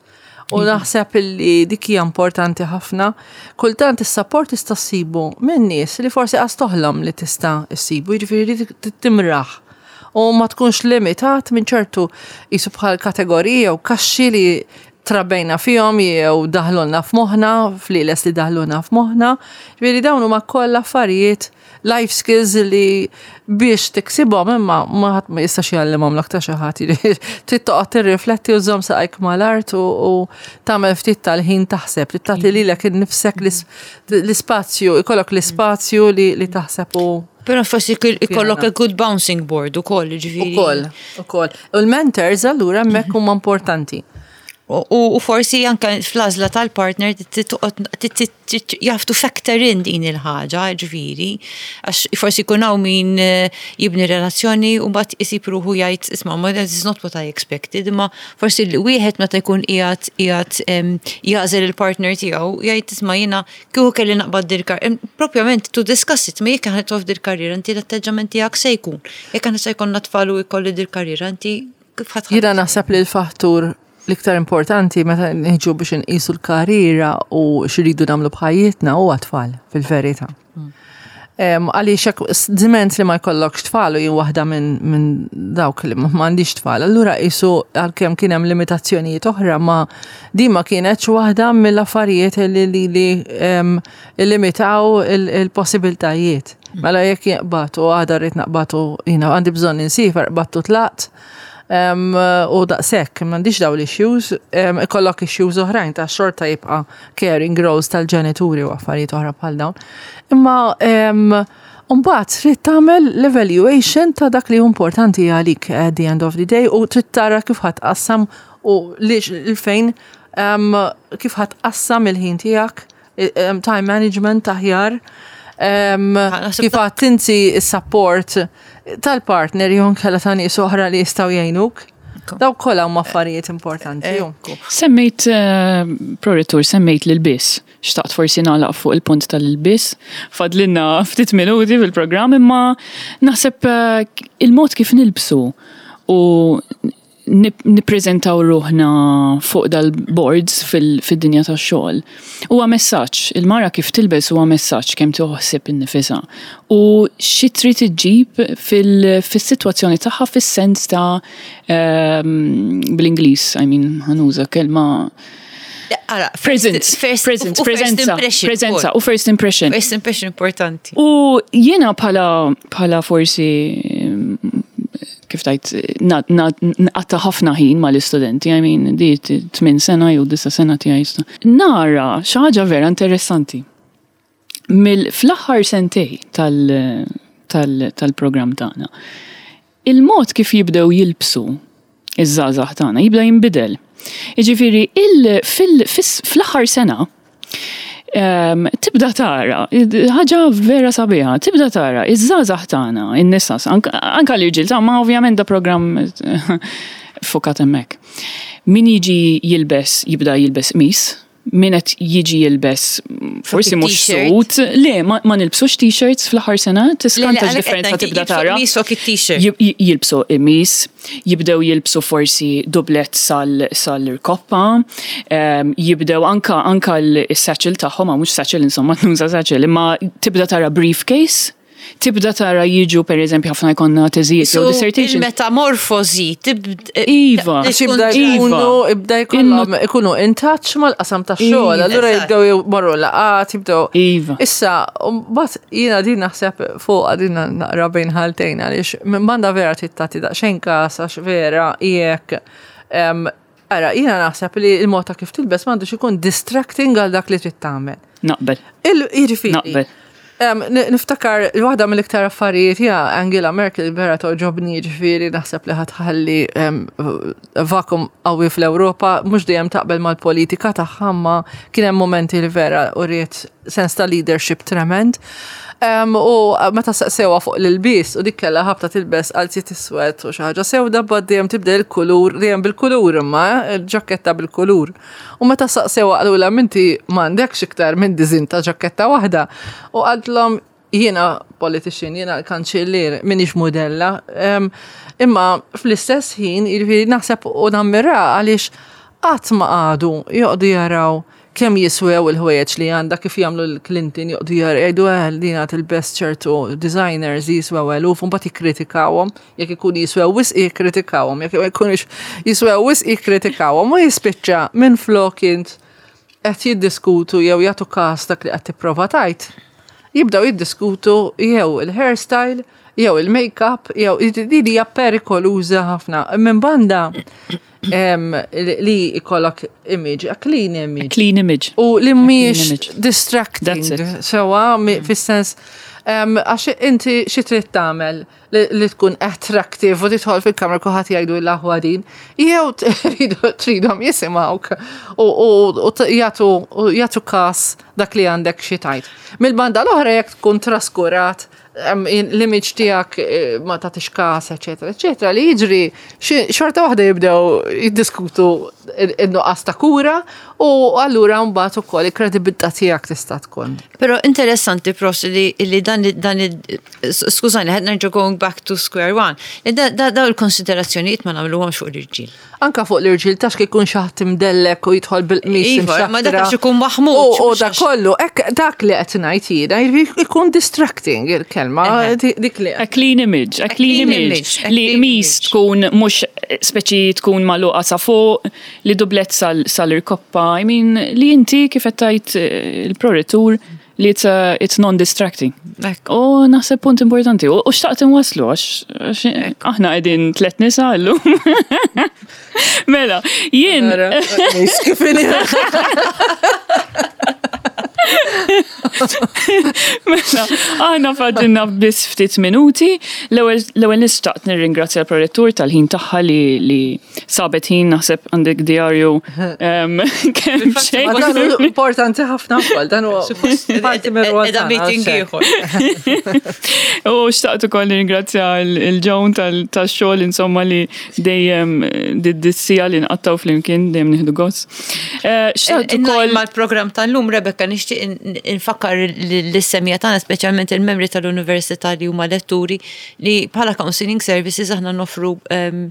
U naħseb li dik hija importanti ħafna. Kultant is-support tista' ssibu minn nies li forsi qas toħlom li tista' issibu, jiġifieri li timraħ. U ma tkunx limitat minn ċertu jisu bħal kategoriji jew kaxxi li trabbejna fihom jew daħlulna f'moħħna, flieles li daħlulna f'moħħna. Ġifieri dawn huma kollha affarijiet, life skills li biex tiksibhom, imma ma ħadd ma jistax jgħallimhom l ta' xi ħadd. Trid toqgħod tirrifletti u żomm saqajk mal-art u u tagħmel ftit tal-ħin taħseb, trid tagħti lilek innifsek l-is- l-ispazju, ikollok l-ispazju li li taħseb u Però forsi ikollok a good bouncing board ukoll, ġifieri. Ukoll, ukoll. U l-mentors allura hemmhekk huma importanti. U, u forsi anka fl-għażla tal-partner you have to factor in din il-ħaġa, ġifieri, għax forsi jkun hawn min eh, jibni relazzjoni u mbagħad isib ruħu jgħid, "Isma', ma that is not what I expected," imma forsi li wieħed meta jkun qiegħed qiegħed em, jagħżel il-partner tiegħu jgħid, "Isma', jiena kieku kelli naqbad dil-kar propjament to discuss it, ma jekk aħna tof dil-karriera, inti l-atteġġament tiegħek se jkun. Jekk aħna se jkollna tfal u jkolli dil-karriera, inti kif ħadd Jiena naħseb li l-fattur l-iktar importanti meta niġu biex nqisu l-karriera u x'iridu nagħmlu b'ħajjitna huwa tfal fil-verità. Em, Għaliex hekk diment li ma jkollokx tfal, u jien waħda minn min dawk li ma m'għandix tfal, allura qisu għalkemm kien hemm limitazzjonijiet oħra, ma di ma kienetx waħda mill-affarijiet li li li em, illimitaw il- il-possibiltajiet. Mela jekk jaqbatu għada rrid naqbatu, jiena għandi bżonn insiefer, qbattu tlaqt, um, u daqshekk, m'għandix daw l-issues, um, ikollok issues oħrajn ta' xorta jibqa' caring roles tal-ġenituri u affarijiet oħra bħal dawn. Imma um, mbagħad trid tagħmel l-evaluation ta' dak li hu importanti għalik at the end of the day u trid tara kif ħa tqassam u li il-fejn um, kif ħa tqassam il-ħin tiegħek, um, time management aħjar, um, naħseb kif għad tinsi s-support tal-partner jew inkella ta' nies oħra li jistgħu jgħinuk. Daw kollha huma affarijiet importanti. ju. Ekku. Semmejt, uh, prorettur, semmejt l-ilbies. Xtaqt forsi nagħlaq fuq il-punt tal-ilbies. Fadlinna ftit minuti fil-programm, imma naħseb eh, il-mod kif nilbsu u nip- nippreżentaw ruħna fuq dal-boards fil-dinja tax-xogħol. Huwa messaġġ, il-mara kif tilbes huwa messaġġ kemm toħsib innifisha. U xi trid iġġib fil-sitwazzjoni tagħha fis-sens ta' ehm, bl-Ingliż, I mean, ħa nuża kelma Ara, presence, first, presence, u first preżenza, impression preżenza ukoll. U first impression. First impression importanti. U jiena bħala bħala forsi mm, kif tajt nqatta' ħafna ħin mal-istudenti, I mean, di tmien sena jew disa' sena tiegħi sta. Nara xi ħaġa vera interessanti. Mill fl-aħħar sentej tal- tal- tal-programm tagħna. Il-mod kif jibdew jilbsu iż-żgħażagħ tagħna jibda jinbidel. Jiġifieri il fil- fis- fl-aħħar sena um, tibda tara, ħaġa vera sabiħa, tibda tara, iż-żgħażagħ tagħna, in-nisa, anka anka l-irġiel ta' ma ovvjament da programm fokat hemmhekk. Min jiġi jilbes, jibda jilbes qmis, min qed jiġi jilbes forsi mhux T-shirt. suit, le, ma, ma nilbsux t-shirts fl-aħħar sena, tiskanta x'differenza tibda tara. Misok it-t-shirt. Jib- j- Jilbsu qmis, jibdew jilbsu forsi dublet sal sal-irkoppa, um, jibdew anka anka l-satchel tagħhom, ma mhux satchel, insomma, nuża satchel, imma tibda tara briefcase. Tibda tara jiġu, per eżempju, ħafna jkollna teżijiet jew So, dissertation. il-metamorfosi tibd. Iva. Għax jibda Iva. jkunu, jibda jkollhom ikunu in touch mal-qasam ta' xogħol, Iva. allura Eżatt. jibdew jmorru laqgħat, jibdew. Iva. Issa, mbagħad jiena din naħseb fuq din naqra bejn ħaltejn għaliex minn banda vera trid tagħti daqsxejn kas għax vera jekk em, Ara, jiena naħseb li il-mod ta' kif tilbes m'għandux ikun distracting għal dak li trid tagħmel. Naqbel. Il- Jiġifieri. Naqbel. Em, ni- Niftakar waħda mill-iktar affarijiet ja Angela Merkel vera toġobni, ġifieri naħseb li ħa tħalli em, vakum qawwi fl-Ewropa, mhux dejjem taqbel mal-politika tagħha, ma kien hemm momenti li vera uriet sens ta' leadership tremend. Em, u meta saqsewha fuq l-ilbis u dik kellha ħabta tilbes qalziet iswed u xi ħaġa sewda, bad dejjem tibdel il-kulur, dejjem bil-kulur imma, eh, il-ġaketta bil-kulur. U meta saqsewha qalulha, "Minti m'għandekx iktar minn design ta' ġaketta waħda." U qaltlhom, "Jiena politician, jiena l-kanċellier, minix modella." Em, Imma fl-istess ħin, jiġifieri naħseb u nammira għaliex qatt ma qagħdu joqogħdu jaraw kemm jiswew il-ħwejjeġ li għandha, kif jagħmlu l-Clinton, joqogħdu jaraw jgħidu, "Eh, dina tilbes ċertu designers jiswew eluf," u mbagħad jikkritikawhom, jekk ikun jiswew wisq jikkritikawhom, jekk ma jkunux jiswew wisq jikkritikawhom, u jispiċċa minn flok int qed jiddiskutu jew jagħtu każ dak li qed tipprova tgħid. Jibdaw jiddiskutu jew il-hairstyle, jew il-make-up, jew din hija perikoluża ħafna. Minn banda em, li li ikollok image, a clean image. Clean image. U li mhijiex image. distracting. That's it. Sewa, mi- fis-sens, em, għax inti xi trid tagħmel li, li tkun attractive u tidħol fil-kamra kulħadd jgħidu l-aħwa din, jew tridu tridhom jisimgħuk u, u, u t- jagħtu u jagħtu kas dak li għandek xi tgħid. Mill-banda l-oħra, jekk tkun traskurat em, l-image tiegħek, eh, ma tagħtix kas, eċetera, eċetera, li jiġri xi- xorta waħda jibdew jiddiskutu in-nuqqas ta' kura u allura mbagħad ukoll il-kredibilità tiegħek tista' tkun. Pero interessanti pros li, li dan, dan skużani, ħa nerġa' going back to square one. Li da, da, daw il-konsiderazzjonijiet ma nagħmluhomx fuq l-irġiel. Anka fuq l-irġiel tax kif ikun xi ħadd imdellek u jidħol bil-qmis Iva, ma dak imxattra. għax ikun maħmuġ, U u mhux dak għax- kollu, ek dak li qed ngħid jiena, jiġifieri ikun distracting il-kelma, Eħe. di- dik li A clean image, a clean clean image. image, a Li clean mis image. tkun mhux speċi tkun magħluqa sa fuq, li dublett sal- sal-irkoppa. I mean, li inti kif qed tgħid eh, il-prorettur li it's, uh, it's non-distracting. Ekku. U naħseb punt importanti. U u xtaqt inwaslu għax għax aħna qegħdin tlet nisa llum. Mela, jien Nara, kif inhi. Mela, aħna fadlilna biss ftit minuti. L-ewwel l-ewwel nixtieq nirringrazzja l-prorettur tal-ħin tagħha li li sabet ħin, naħseb għandek diarju em, kemm xejn. Ma dan hu importanti ħafna wkoll, dan huwa parti mir-rwol Edha tagħna, meeting għax hekk. ieħor. U xtaqt ukoll nirringrazzja l-Joan tax-xogħol insomma li dejjem did-siegħa li nqattgħu flimkien dejjem nieħdu gost. Eh, Xtaqt ukoll Mal-program tal-lum, Rebecca, nixtieq in- infakkar lis-semmiegħa tagħna, speċjalment il-membri tal-Università li huma letturi, li bħala Counseling Services aħna noffru um,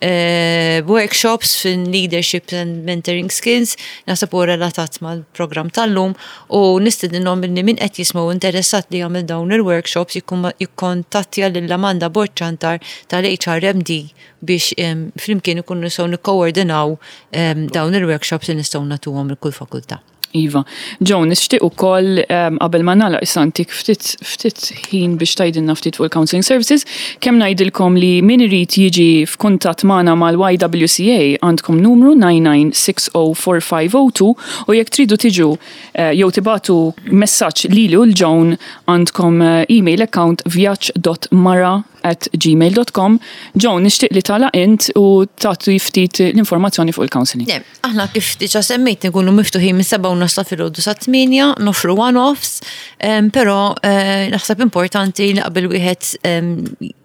eh, workshops fin leadership and mentoring skills, naħseb huwa relatat mal-program tal-lum, u nistedinhom li min qed jismgħu interessat li jagħmel dawn il-workshops jikkum- jikkontattja lil Amanda Borċantar tal-H R M D biex em, flimkien ikunu nistgħu nikkoordinaw em, dawn il-workshops li nistgħu nagħtuhom il kull fakultà. Iva. Joan, nixtieq ukoll um, qabel ma nagħlaq issa ntik ftit ftit ħin biex tgħidilna ftit fuq il-Counseling Services, kemm ngħidilkom li min irid jiġi f'kuntatt magħna mal-Y W C A għandkom numru nine nine six zero four five zero two u jekk tridu tiġu eh, jew tibagħtu messaġġ lili u l-Joan għandkom eh, email account vjaġġ dot mara at gmail dot com. Joan, nixtieq li tagħlaq int u tagħti ftit l-informazzjoni fuq il-counseling. Ne, aħna kif diġa semmejt nkunu miftuħin minn seba' u nofs ta' filgħodu sa tmienja, noffru one-offs, em, però eh, naħseb importanti li qabel wieħed em,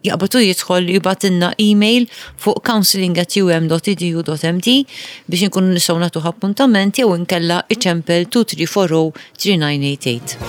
jaqbad u jidħol jibgħatilna email fuq counseling at um dot edu dot M T biex nkunu nistgħu nagħtuh appuntament jew inkella iċempel two three four zero three nine eight eight.